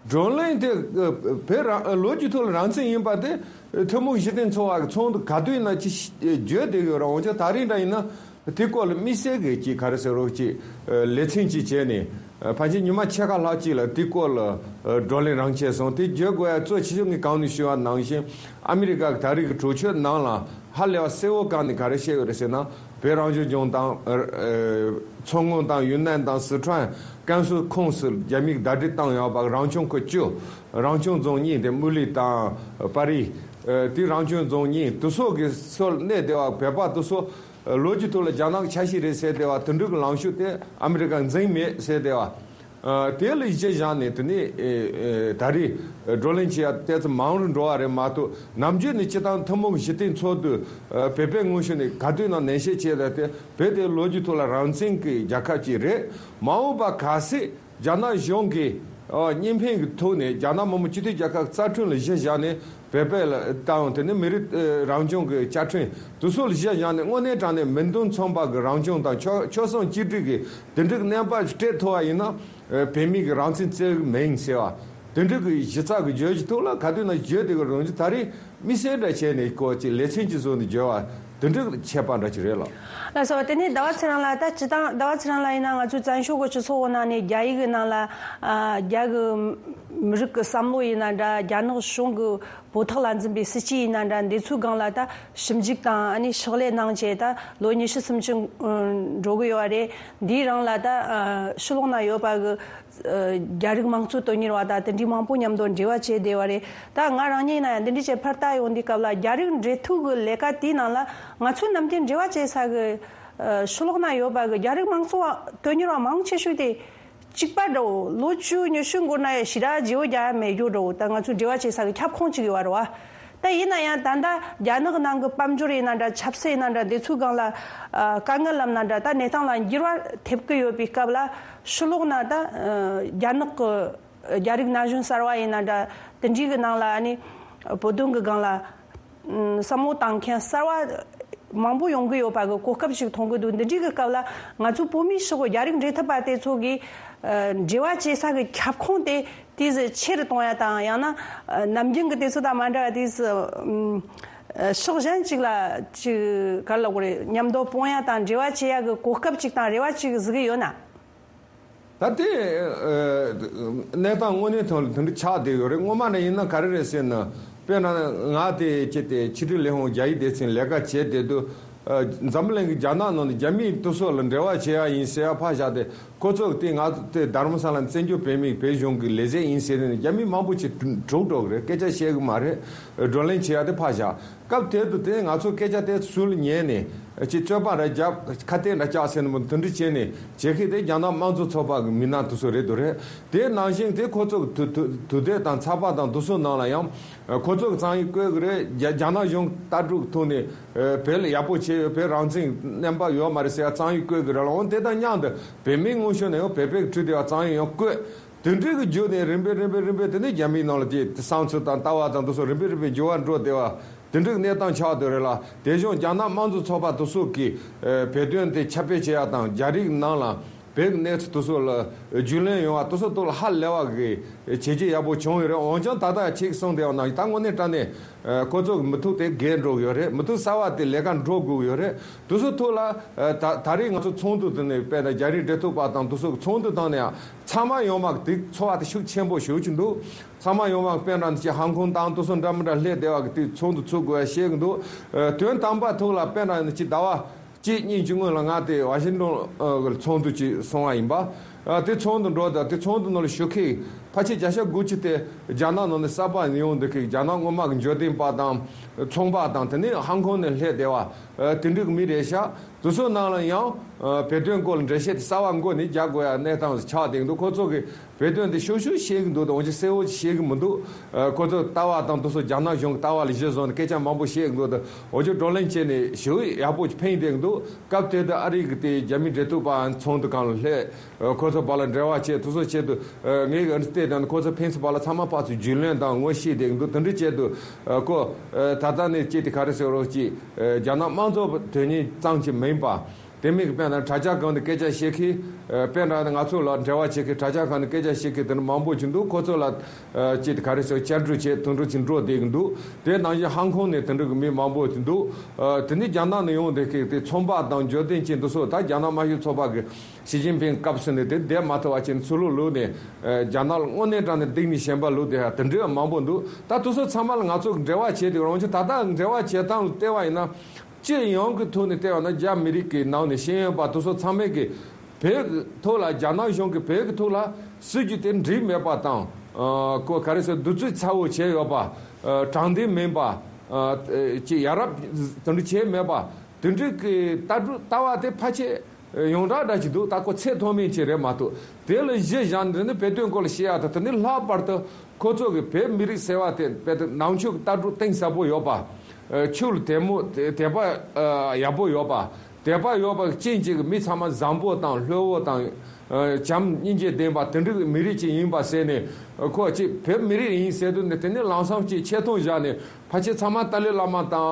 བགྲོ་གླེང་དེ་བོད་རང་ལོ་རྒྱུས་ཐོག་ལ་རང་བཙན་ཡིན་པ་དེ་ཐུན་མོང་གཞི་རྟེན་འཚོལ་བ་གི་ཚོགས་འདུ་ག་དུས་ཡིན་ན་ཅི་བརྗོད་བསྡད་ཡོད་ར། འོན་ཀྱང་ད་རེས་འདྲ་ཡིན་ན་དེ་སྐོར་ལ་དམིགས་བསལ་གི་ཅིག་ག་རེ་ཟེར་རོགས་ཅིག་ལེ་ཚན་ཅིག་བྱས་ནས། ཕལ་ཆེར་ཉི་མ་ཕྱེད་ཀ་ལྷག་ཅིག་ལ་དེའི་སྐོར་ལ་བགྲོ་གླེང་རང་བྱས་སོང་། དེ་བརྗོད་དགོས་ཡ་གཙོ་ཆེ་ཤོས་ངས་གང་ནས་ཞུས་པ་ནང་བཞིན་ཨ་མི་རི་ཀ་གི་ད་རེས་ཀྱི་གྲོས་ཆོད་ནང་ལ་ཧ་ལས་པ་གསལ་བོ་བཀག་ནས་ག་རེ་བཤད་ཡོད་རེད་ཟེར་ན། བོད་རང་སྐྱོང་ལྗོངས་དང་མཚོ་སྔོན་དང་ཡུན་ནན་དང་སི་ཁྲོན་ཀན་སུའུ་ཁོངས་སུ་རྒྱ་མིས་བརྡ་སྤྲོད་བཏང་ཡོད་པ། རང་སྐྱོང་ཁུལ་བཅུ། རང་སྐྱོང་རྫོང་གཉིས་དེ་མུ་ལི་དང་པ་རི། དེ་རང་སྐྱོང་རྫོང་གཉིས་དེ་ཚོ་གི་སོར་གནས་བསྡད་པ་བོད་པ་དེ་ཚོ། ལོ་རྒྱུས་ཐོག་ལ་རྒྱ་ནག་གི་ཆ་ཤས་རེད་ཟེར་བསྡད་པ་དེ་འདྲ་གི་ལངས་ཕྱོགས་དེ་ཨ་མི་རི་ཀ་འཛིན་མེད་ཟེར་བསྡད་པ། དེ་ལ་གཞི་བཞག་ནས་དེ་ནས་ད་རེས་བགྲོ་གླེང་བྱེད་ཡ་ཏོག་ཙམ་མང་རུ་འགྲོ་བ་རེད་མ་གཏོགས། ནམ་རྒྱུན་ནས་སྤྱིར་བཏང་ཐུན་མོང་གི་གཞི་རྟེན་འཚོལ་དུས་བོད་པའི་ངོས་ཕྱོགས་ནས་ག་དུས་ན་ནན་བཤད་བྱས་ཏེ་བོད་དེ་ལོ་རྒྱུས་ཐོག་ལ་རང་བཙན་གྱི་རྒྱལ་ཁབ་ཅིག་རེད། མ་འོངས་པ་གལ་སྲིད། རྒྱ་ནག་གཞུང་གིས་ཨ་གཉིས་ཕན་གྱི་ཐོག་ནས་རྒྱ་ནག་མི་དམངས་སྤྱི་མཐུན་རྒྱལ་ཁབ་རྩ་ཁྲིམས་ལ་གཞི་བཞག་ནས་བོད་པ་ལ་དང་དེ་ནས་མི་རིགས་ཨ་རང་སྐྱོང་གི་བཅའ་ཁྲིམས་དེ་ཚོ་ལ་གཞི་བཞག་ནས་དངོས་གནས་དྲང་གནས་མིང་དོན་མཚུངས་པ་གི་རང་སྐྱོང་དང་ཆོལ་ཆོལ་གསུམ་གཅིག་སྒྲིལ་གྱི་དེ་འདྲའི་གནས་བབ་ཅིག་སྤྲད་ཐུབ་པ་ཡིན་ན། ཨ་བོད་མི་གི་རང་བཙན་རྩོད་ཀྱི་མིན་ཟེར་བ། དེ་འདྲའི་གི་གཞི་རྩ་གི་བརྗོད་གཞི་ཐོག་ལ་ག་དུས་ན་བརྗོད་དེ་གི་རང་བཞིན་ད་རེས། དམིགས་བསལ་འདྲ་བྱས་ནས་ཁོ་ཅིག་ལེ་ཚན་གྱི་བཟོ་ནས་བརྗོད་པ་དེ་འདྲ་ཁྱད་པར་འདྲ་ཅིག་རེད་ལགས། ལགས་སོ། དེ་ནས་ཟླ་བ་ཚེ་རིང་ལགས། ད་སྤྱིར་བཏང་ཟླ་བ་ཚེ་རིང་ལགས་ཡིན་ན་ང་ཚོའི་བཙན་བྱོལ་གྱི་སྤྱི་ཚོགས་ནང་ནས་རྒྱ་ཡིག་གི་ནང་ལ་ཨ་རྒྱ་གི་མི་རིགས་ཀྱི་བསམ་བློ་ཡིན་ན་འདྲ། རྒྱ་ནག་གཞུང་གི་བོད་ཐོག་ལ་འཛིན་པའི་སྲིད་བྱུས་ཡིན་ན་འདྲ། འདི་ཚོའི་སྒང་ལ་ད་ཞིབ་འཇུག་དང་ཨ་ནི་ཕྱག་ལས་གནང་བྱས་ད་ལོ་ཉི་ཤུ་སུམ་ཅུ་འགྲོ་གི་ཡོད་པ་རེད། འདིའི་རིང་ལ་ད་ཨ་ཕྱི་ལོགས་ན་ཡོད་པ་གི་རྒྱ་རིགས་མང་གཙོ་དོན་གཉེར་བ་དང་དེ་འདྲའི་མང་པོ་མཉམ་དུ་འབྲེལ་བ་བྱས་བསྡད་པ་རེད། ད་ང་རང་ཉིད་ཡིན་ན་ཡང་འདི་འདྲའི་བྱས་ཕར་ལྟ་ཡོང་དུས་སྐབས་ལ་རྒྱ་རིགས་འབྲེལ་མཐུད་ཀྱི་ལས་ཀ་དེའི་ནང་ལ་ང་ཚོའི་ནམ་རྒྱུན་འབྲེལ་བ་བྱེད་ས་གི་ཕྱི་ལོགས་ན་ཡོད་པ་གི་རྒྱ་རིགས་མང་གཙོ་བ་དོན་གཉེར་བ་མང་ཆེ་ཤོས་དེ་གཅིག་པ་འདྲ་བོ། ལོ་བཅུ་ཉི་ཤུ་འགོར་ན་ཡང་ཞེ་དྲག་བརྗེ་བོ་རྒྱག་ཡ་མེད་རྒྱུ་འདྲ་བོ། ད་ང་ཚོའི་འབྲེལ་བ་བྱེད་ས་གི་ཁྱབ་ཁོངས་གཅིག་ཡོད་པ་རེད་བ། ད་ཡིན་ན་ཡང་ད་ལྟ་རྒྱ་ནག་ནང་གི་དཔལ་འབྱོར་ཡིན་ན་འདྲ། ཆབ་སྲིད་ཡིན་ན་འདྲ། འདི་ཚོའི་སྒང་ལ་ཨ་དཀའ་ངལ་ལབ་ན་འདྲ། ད་གནས་སྟངས་ལ་འགྱུར་བ་ཐེབས་ཀྱི་ཡོད་པའི་སྐབས་ལ་ཕྱི་ལོགས་ན་ད་ཨ་རྒྱ་ནག་གི་རྒྱ་རིགས་ན་གཞོན་གསར་བ་ཡིན་ན་འདྲ། དེ་འདྲའི་གི་ནང་ལ་ཨ་ནི་བོད་དོན་གི་སྒང་ལ་ཨ་བསམ་བློ་བཏང་མཁན་གསར་བ་ མང་པོ་ཡོང་གི་ཡོད་པ་གི་གོ་སྐབས་ཤིག་མཐོང་གི་འདུག་འདི་འདྲའི་གི་སྐབས་ལ་ང་ཚོ་བོད་མིའི་ཕྱོགས་གི་རྒྱ་རིགས་འབྲེལ་མཐུད་པ་དེ་ཚོ་གིས་ཨ་འབྲེལ་བ་བྱེད་ས་གི་ཁྱབ་ཁོངས་དེ་དེ་ཟིག་ཆེ་རུ་གཏོང་ཡ་དང་། ཡང་ན་ཨ་ནམ་རྒྱུན་གི་དེ་ཚོ་དང་མ་འདྲ་བ་དེ་ཟིག་ཨ་ཕྱོགས་གཞན་ཅིག་ལ་ཅིག་ག་རེ་ལབ་དགོས་རེད། མཉམ་དུ་སྤུངས་ཡ་དང་འབྲེལ་བ་བྱེད་ཡ་གི་གོ་སྐབས་ཅིག་དང་རེ་བ་ཅིག་ཟིག་གི་ཡོད་ན། ད་ལྟའི་ཨ་གནས་སྟངས་དངོས་གནས་ཐོག་ལ་དེ་འདྲ་ཆགས་བསྡད་ཡོད་རེད། སྔོན་མ་ནས་ཡིན་ན་ག་རེ་རེད་ཟེར་ན། དཔེར་ན་ང་དེ་ཅི་སྟེ་ཕྱི་དྲིལ་ལས་ཁུངས་རྒྱ་ཡིག་སྡེ་ཚན་ལས་ཀ་བྱས་བསྡད་དུས། ཨ་འཛམ་བུ་གླིང་གི་རྒྱ་ནག་ནང་ནས་རྒྱ་མིའི་དེ་ཚོ་ལ་འབྲེལ་བ་བྱེད་ཡ་ཡིན་ཟེར་ཡ་ཕར་བཞག་སྟེ། ཁོ་ཚོ་དེ་ང་དེ་དྷ་རམ་ས་ལ་བཙན་བྱོལ་བོད་མིའི་བོད་གཞུང་གི་ལས་བྱེད་ཡིན་ཟེར་ནས་རྒྱ་མི་མང་པོ་ཅིག་གྲུག་འགྲོ་གི་རེད། སྐད་ཆ་བཤད་གི་མ་རེད། བགྲོ་གླེང་བྱེད་ཡ་དེ་ཕར་བཞག་སྐབས་དེ་དུས་དེ་ང་ཚོ་སྐད་ཆ་དེ་ཚུར་ཉན་ནས་ཅིག་རྩོད་པ་འདྲ་རྒྱབ། ཁ་གཏད་འདྲ་བཅག་ཟེར་ནས་མོ་དེ་འདྲ་བྱས་ནས་བྱེད་མཁན་དེ་རྒྱ་ནག་དམངས་གཙོ་ཚོགས་པ་གི་མི་སྣ་དེ་ཚོ་རེད་འདུག་རེད། དེ་ནང་བཞིན་དེ་ཁོ་ཚོ་གི་དུས་དུས་དུས་དེབ་དང་ཚགས་པར་དང་དེ་ཚོ་ནང་ལ་ཡང་ཁོ་ཚོ་གི་རྩོམ་ཡིག་བཀོད་གི་རེད། རྒྱ་རྒྱ་ནག་གཞུང་ལྟ་གྲུབ་ཐོག་ནས་བོད་ལ་ཡག་པོ་བྱས་ཡོད། བོད་རང་བཙན་རྣམ་པ་ཡོད་མ་རེད་ཟེར་ཡ་རྩོམ་ཡིག་བཀོད་གི་རེད་ལ། འོན་དེ་དང་མཉམ་དུ་བོད་མིའི་དངོས་ཤུགས་ནས་ཡང་བོད་པའི་ཁྲུས་དེ་བ་རྩོམ་ཡིག་ཡང་བཀོད། དེ་འདྲའི་གི་བརྒྱུད་ནས་རིམ་པས་རིམ་པས་རིམ་པས་དེ་ནས་རྒྱ་མིའི་ནང་ལ་དེ་བསམ་ཚུལ་དང་ལྟ་བ་དང་དེ་ཚོ་རིམ་པས་རིམ་པས་འགྱུར་བ་འགྲོ་བསྡད་པ་དེ་འདྲའི་གནས་སྟངས་ཆགས་བསྡད་རེད་ལ། དེ་བཞིན་རྒྱ་ནག་དམངས་གཙོ་ཚོགས་པ་དེ་ཚོ་གིས་ཨ་བོད་དོན་དེ་ཁྱབ་སྤེལ་བྱེད་ཡ་དང་། རྒྱ་རིགས་ནང་ལ་བོད་ཀྱི་གནས་ཚུལ་དེ་ཚོ་ལ་རྒྱུས་ལོན་ཡོང་བ་དེ་ཚོ་ཐོག་ལ་ཧ་ལས་པ་གི་བྱས་རྗེས་ཡག་པོ་བྱུང་ཡོད་རེད། འོན་ཀྱང་ད་ལྟ་ཁྱེད་ཀྱིས་གསུངས་བསྡད་པ་ནང་བཞིན་ད་དངོས་གནས་དྲང་གནས་ཨ་ཁོ་ཚོ་གི་མི་ཐུབ་དེ་རྒས་འགྲོ་གི་ཡོད་རེད། མི་ཐུབ་གསར་བ་དེ་ལས་ཀ་འགྲོ་དགོས་ཀྱི་ཡོད་རེད། དེ་ཚོ་ཐོག་ལ་ཨ་ད་ད་རེས་ང་ཚོ་ཚོགས་འདུ་དེ་ནས་དཔེར་ན་རྒྱ་རིགས་འབྲེལ་མཐུད་པ་དང་དེ་ཚོ་གི་ཚོགས་འདུ་བཏང་ནས་ཡང་ཚང་མ་ཡོང་མ་དེ་ཚོར་བ་དེ་ཤུགས་ཆེན་པོ་ཞིག་ཅིག་འདུག་ཚང་མ་ཡོང་མ་དཔེར་ན་ཅིག་ཧང་ཀོང་དང་དེ་ཚོ་འདྲ་མི་འདྲ་སླེབས་བསྡད་པ་གི་དེ་ཚོགས་འདུ་ཚུགས་དགོས་ཡ་བཤད་གི་འདུག་ཨ་དོན་དམ་པ་ཐོག་ལ་དཔེར་ན་ཅིག་ཟླ་བ་གཅིག་གཉིས་ཀྱི་སྔོན་ལ་ང་དེ་ཝ་ཤིང་ཊོན་ཨ་གི་ཚོགས་འདུ་ཅིག་སོང་བ་ཡིན་པ། ཨ་དེ་ཚོགས་འདུ་འགྲོ་དང་དེ་ཚོགས་འདུ་ནང་ལ་ཞུགས་མཁན་ཕལ་ཆེར་བརྒྱ་ཆ་དགུ་བཅུ་དེ་རྒྱ་ནག་ནང་ནས་གསར་པ་ཡོང་འདུག་གི། རྒྱ་ནག་སྔོན་མ་གི་འབྱོར་ལྡན་པ་དང་ཚོང་པ་དང་། དེ་ནས་ཧང་ཀོང་ནས་སླེབས་བསྡད་པ་ཨ་དེ་འདྲའི་གི་མི་རེད་ཤག་དེ་ཚོ་ནང་ལ་ཡང་ཨ་བོད་དོན་སྐོར་ལ་འགྲེལ་བཤད་དེ་གསར་པ་མགོ་ནས་རྒྱག་དགོས་ཡ་གནས་སྟངས་ཆགས་བསྡད་འདུག་ཁོ་ཚོ་གིས་བོད་དོན་དེ་ཤུགས་ཤུགས་བཤད་གི་འདུག་དང་། འོན་ཀྱང་གསལ་བོ་ཅིག་བཤད་གི་མི་འདུག་ཨ་ཁོ་ཚོ་ལྟ་བ་དང་དེ་ཚོ་རྒྱ་ནག་གཞུང་གི་ལྟ་བ་ལ་གཞི་བཟུང་ནས་སྐད་ཆ་མང་པོ་བཤད་གི་འདུག་དང་། འོན་ཀྱང་བགྲོ་གླེང་བྱས་ནས་ཞེ་པོ་ཡག་པོ་ཅིག་ཕན་བསྡད་གི་འདུག་སྐབས་དེ་དུས་ཨ་རི་གི་དེ་རྒྱ་མི་འབྲེལ་མཐུད་པ་ཚོགས་འདུ་སྒང་ལ་སླེབས། ཨ་ཁོ་ཚོ་བར་ལ་འབྲེལ་བ་བྱས། དེ་ཚོ་བྱས་དུས་ཨ་ངས་ཨ་ནི་བལྟས་དང་། ཁོ་ཚོ་ཕན་ཚུན་བར་ལ་ཚང་མ་ཕར་ཚུར་རྒྱུས་ལོན་དང་ངོ་ཤེས་བསྡད་གི་འདུག་དེ་འདྲ་བྱས་དུས་ཨ་ཁོ་ཨ་ད་ལྟ་ནས་ཅིག་དེ་ག་རེ་ཟེར་རོགས་ཅིག་ཨ་རྒྱ་ནག་དམངས་གཙོ་དོན་གཉེར་ཙམ་ཅིག་མིན་པ། དེ་མིན་གྱི་དཔེར་ན་དྲ་རྒྱ་སྒང་དུ་སྐད་ཆ་བཤད་མཁན། ཨ་དཔེར་ན་ང་ཚོ་ལ་འབྲེལ་བ་བྱེད་མཁན་དྲ་རྒྱ་སྒང་དུ་སྐད་ཆ་བཤད་མཁན་དེ་འདྲ་མང་པོ་ཅིག་འདུག་ཁོ་ཚོ་ལ་ཨ་ཅིག་དེ་ག་རེ་ཟེར། བཅར་འདྲི་བྱས་དུམ་གྲ་ཅིག་འགྲོ་བསྡད་ཀྱི་འདུག་དེ་ནང་བཞིན་ཧང་ཀོང་ནས་དེ་འདྲ་གི་མི་མང་པོ་ཅིག་འདུག་ཨ་དེ་ནས་རྒྱ་ནག་ནས་ཡོང་བསྡད་མཁན་དེ་ཚོང་པ་དང་འབྱོར་ལྡན་ཅན་དེ་ཚོ་ད་རྒྱ་ནག་དམར་ཤོག་ཚོགས་པ་གི་ཞི་ཅིན་ཕིང་སྐབས་སུ་ནས་དེ་བསྡད་མ་ཐུབ་པ་བྱས་ནས་ཚུར་ལོག་ལོག་ནས་ཨ་རྒྱ་ནག་ལ་དངོས་གནས་དྲང་གནས་སྡིགས་ནས་ཞེན་པ་ལོག་བསྡད་ཡ་དེ་འདྲ་མང་པོ་འདུག་ད་དེ་ཚོ་ཚང་མ་ལ་ང་ཚོ་འབྲེལ་བ་བྱས་ཏེ། རང་ཆོས་ད་ལྟ་འབྲེལ་བ་བྱེད་སྟངས་ལ་བལྟས་པ་ཡིན་ན། སྤྱི་ཡོངས་ཀྱི་ཐོག་ནས་བལྟས་པ་ན་རྒྱ་མི་རིགས་ཀྱི་ནང་ནས་ཤེས་ཡོན་པ་དེ་ཚོ་ཚང་མས་ཀྱི་བོད་ཀྱི་ཐོག་ལ་རྒྱ་ནག་གཞུང་གིས་བོད་ཀྱི་ཐོག་ལ་སྲིད་ཇུས་དེ་འགྲིག་མེད་པ་དང་། ཨ་ཁོ་ག་རེ་ཟེར། བསྡུ་བཅུག་ཚ་བོ་བྱས་ཡོད་པ། ཨ་དྲང་བདེན་མིན་པ། ཨ་ཅིག་ཡ་རབས་དེ་འདྲ་བྱས་མེད་པ། དེ་འདྲའི་གི་ལྟ་གྲུབ་ལྟ་བ་དེ་ཕལ་ཆེར་ཡོངས་གྲགས་འདྲ་ཅིག་འདུག་ད་ཁོ་ཚད་མཐོ་དམན་ཅིག་རེད་མ་གཏོགས། དེ་ལ་གཞི་བཞག་ནས་དེ་ནི་བོད་དོན་སྐོར་ལ་བཤད་ཡ་དང་། དེ་ནི་ལྷག་པར་དུ་ཁོ་ཚོ་གི་བོད་མི་རིགས་ཟེར་བ་དེ་དཔེ་དེ་ནང་ཆོས་ཀྱི་ལྟ་གྲུབ་གཏིང་ཟབ་པོ་ཡོད་པ། ཨ་ཆོས་ལ་དད་མོས་དད་པ་ཨ་ཡག་པོ་ཡོད་པ། དད་པ་ཡོད་པ་ཅན་ཅིག་གི་མི་ཚང་མ་བཟང་པོ་དང་ལྷོད་པོ་དང་། ཨ་བྱམས་སྙིང་རྗེ་ལྡན་པ་དེ་འདྲའི་མི་རིགས་ཅིག་ཡིན་པ་ཟེར་ནས། ཁོ་ཅིག་བོད་མི་རིགས་ཡིན་ཟེར་དུས་ནི་དེ་ནི་ལམ་སང་ཅིག་ཆེ་མཐོང་བཞག་ནས། ཕལ་ཆེར་ཚང་མ་ཏཱ་ལའི་བླ་མ་དང་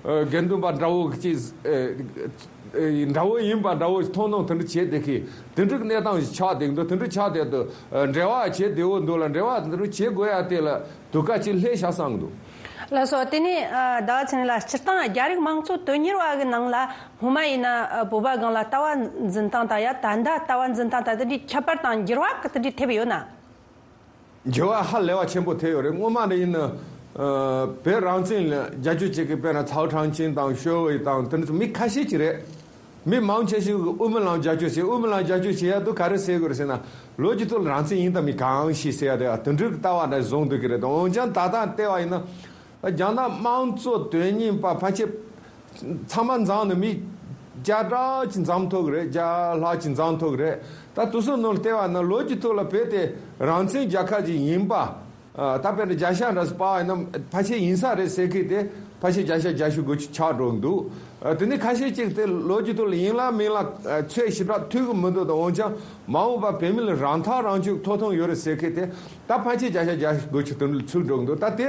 ཨ་དགེ་འདུན་པ་འདྲ་བོ་ཅིག་ཨ་འདྲ་བོ་ཡིན་པ་འདྲ་བོ་མཐོང་སྣང་དེ་འདྲ་བྱས་བསྡད་མཁན་དེ་འདྲའི་གནས་སྟངས་ཤིག་ཆགས་བསྡད་འདུག་དེ་འདྲ་ཆགས་བསྡད་དུས་ཨ་འབྲེལ་བ་བྱེད་བདེ་བོ་འདུག་ལ། འབྲེལ་བ་དེ་འདྲ་བྱེད་དགོས་ཡ་དེ་ལ་དུས་སྐབས་ཅིག་སླེབས་ཤག་བསམ་གི་འདུག་ལགས་སོ། དེ་ནས་ཨ་ཟླ་བ་ཚེ་རིང་ལགས། སྤྱིར་བཏང་རྒྱ་རིགས་དམངས་གཙོ་དོན་གཉེར་བ་གི་ནང་ལ་སྔོན་མ་ཡིན་ན་ཨ་བོད་པ་སྒང་ལ་ལྟ་བ་འཛིན་སྟངས་དང་ཡ། ད་ལྟ་ལྟ་བ་འཛིན་སྟངས་དང་དེ་འདྲའི་ཁྱད་པར་དང་འགྱུར་བ་གི་དེ་འདྲའི་ཐེབས་ཡོད་ན། འགྱུར་བ་ཧ་ལས་པ་ཆེན་པོ་ཐེབས་ཡོད་རེད། སྔོན་མ་ནས་ཡིན་ན་ཨ་བོད་རང་བཙན་ལ་རྒྱབ་སྐྱོར་བྱེད་མཁན་དཔེར་ན་ཚའོ་ཁྲང་ཆིང་དང་ཞོ་ཝེ་དང་དེ་འདྲ་མི་ཁ་ཤས་ཅིག་རེད། མི་མང་ཆེ་ཤོས་ཀྱིས་དབུ་མའི་ལམ་རྒྱབ་སྐྱོར་བྱེད། དབུ་མའི་ལམ་རྒྱབ་སྐྱོར་བྱེད་ཡ་དུས་ག་རེ་ཟེར་དགོས་རེད་ཟེར་ན། ལོ་རྒྱུས་ཐོག་ལ་རང་བཙན་ཡིན་དང་མིན་གང་ཤེས་ཟེར་ཡ་དེ་དེ་འདྲའི་ལྟ་བ་འདྲ་བཟུང་སྡོད་ཀྱི་རེད། འོན་ཀྱང་ད་ལྟ་བལྟས་པ་ཡིན་ན། རྒྱ་ནག་དམངས་གཙོ་དོན་གཉེར་བ་ཕལ་ཆེར་ཚང་མ་འཛོམས་ནས་མི་བརྒྱ་ཕྲག་ཅིག་འཛོམས་ཐུབ་ཀྱི་རེད། བརྒྱ་ལྷག་ཅིག་འཛོམས་ཐུབ་ཀྱི་རེད། ད་དེ་ཚོའི་ནང་ལ་བལྟས་པ་ན་ལོ་རྒྱུས་ཐོག་ལ་བོད་དེ་རང་བཙན་རྒྱལ་ཁབ་ཅིག་ཡིན་པ། ཨ་ད་དཔེར་ན་བརྒྱ་ཆ་འདྲ་ཞིག་དཔག་པ་ཡིན་ན་ཕལ་ཆེར་ཡིན་ས་རེད་ཟེར་མཁན་དེ་ཕལ་ཆེར་བརྒྱ་ཆ་བརྒྱད་ཅུ་དགུ་བཅུ་ཆགས་འགྲོ་གི་འདུག་ཨ་དེ་ནས་ཁ་ཤས་ཅིག་དེ་ལོ་རྒྱུས་ཐོག་ལ་ཡིན་ལ་མིན་ལ་ཨ་ཚོད་ཞེ་དྲག་ཐུབ་ཀྱི་མི་འདུག་ད་འོན་ཀྱང་མ་འོངས་པ་བོད་མི་ལ་རང་ཐག་རང་གཅོད་ཐོབ་ཐང་ཡོད་རེད་ཟེར་མཁན་དེ་ད་ཕལ་ཆེར་བརྒྱ་ཆ་བརྒྱད་ཅུ་དགུ་བཅུ་དེ་འདྲ་ཚུད་འགྲོ་གི་འདུག་ད་དེ་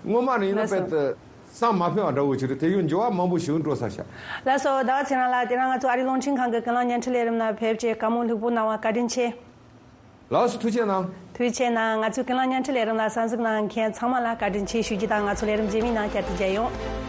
སྔོན་མ་ནས་ཡིན་ན་ལགས་སོ། དཔེ་དེ། བསམ་མ་ཕོད་པ་འདྲ་བོ་ཞིག་རེད། དེ་ཡང་འགྱུར་བ་མང་པོ་ཞིག་འགྲོ་ས་ཤག་ལགས་སོ། ཟླ་བ་ཚེ་རིང་ལགས། དེ་རིང་ང་ཚོ་ཨ་རིའི་རླུང་འཕྲིན་ཁང་གི་ཀུན་གླེང་བརྙན་འཕྲིན་ལས་རིམ་ལ་ཕེབས་བྱས་བཀའ་མོལ་ལྷུག་པོ་གནང་བ་བཀའ་དྲིན་ཆེ། ལགས་སོ། ཐུགས་རྗེ་གནང་། ཐུགས་རྗེ་གནང་། ང་ཚོའི་ཀུན་གླེང་བརྙན་འཕྲིན་ལས་རིམ་ལ་གསན་གཟིགས་གནང་མཁན་ཚང་མ་ལ་བཀའ་དྲིན་ཆེ་ཞུ་རྒྱུ་དང་། ང་ཚོ་ལས་རིམ་རྗེས་མའི་ནང་བསྐྱར་དུ་མཇལ་ཡོང་།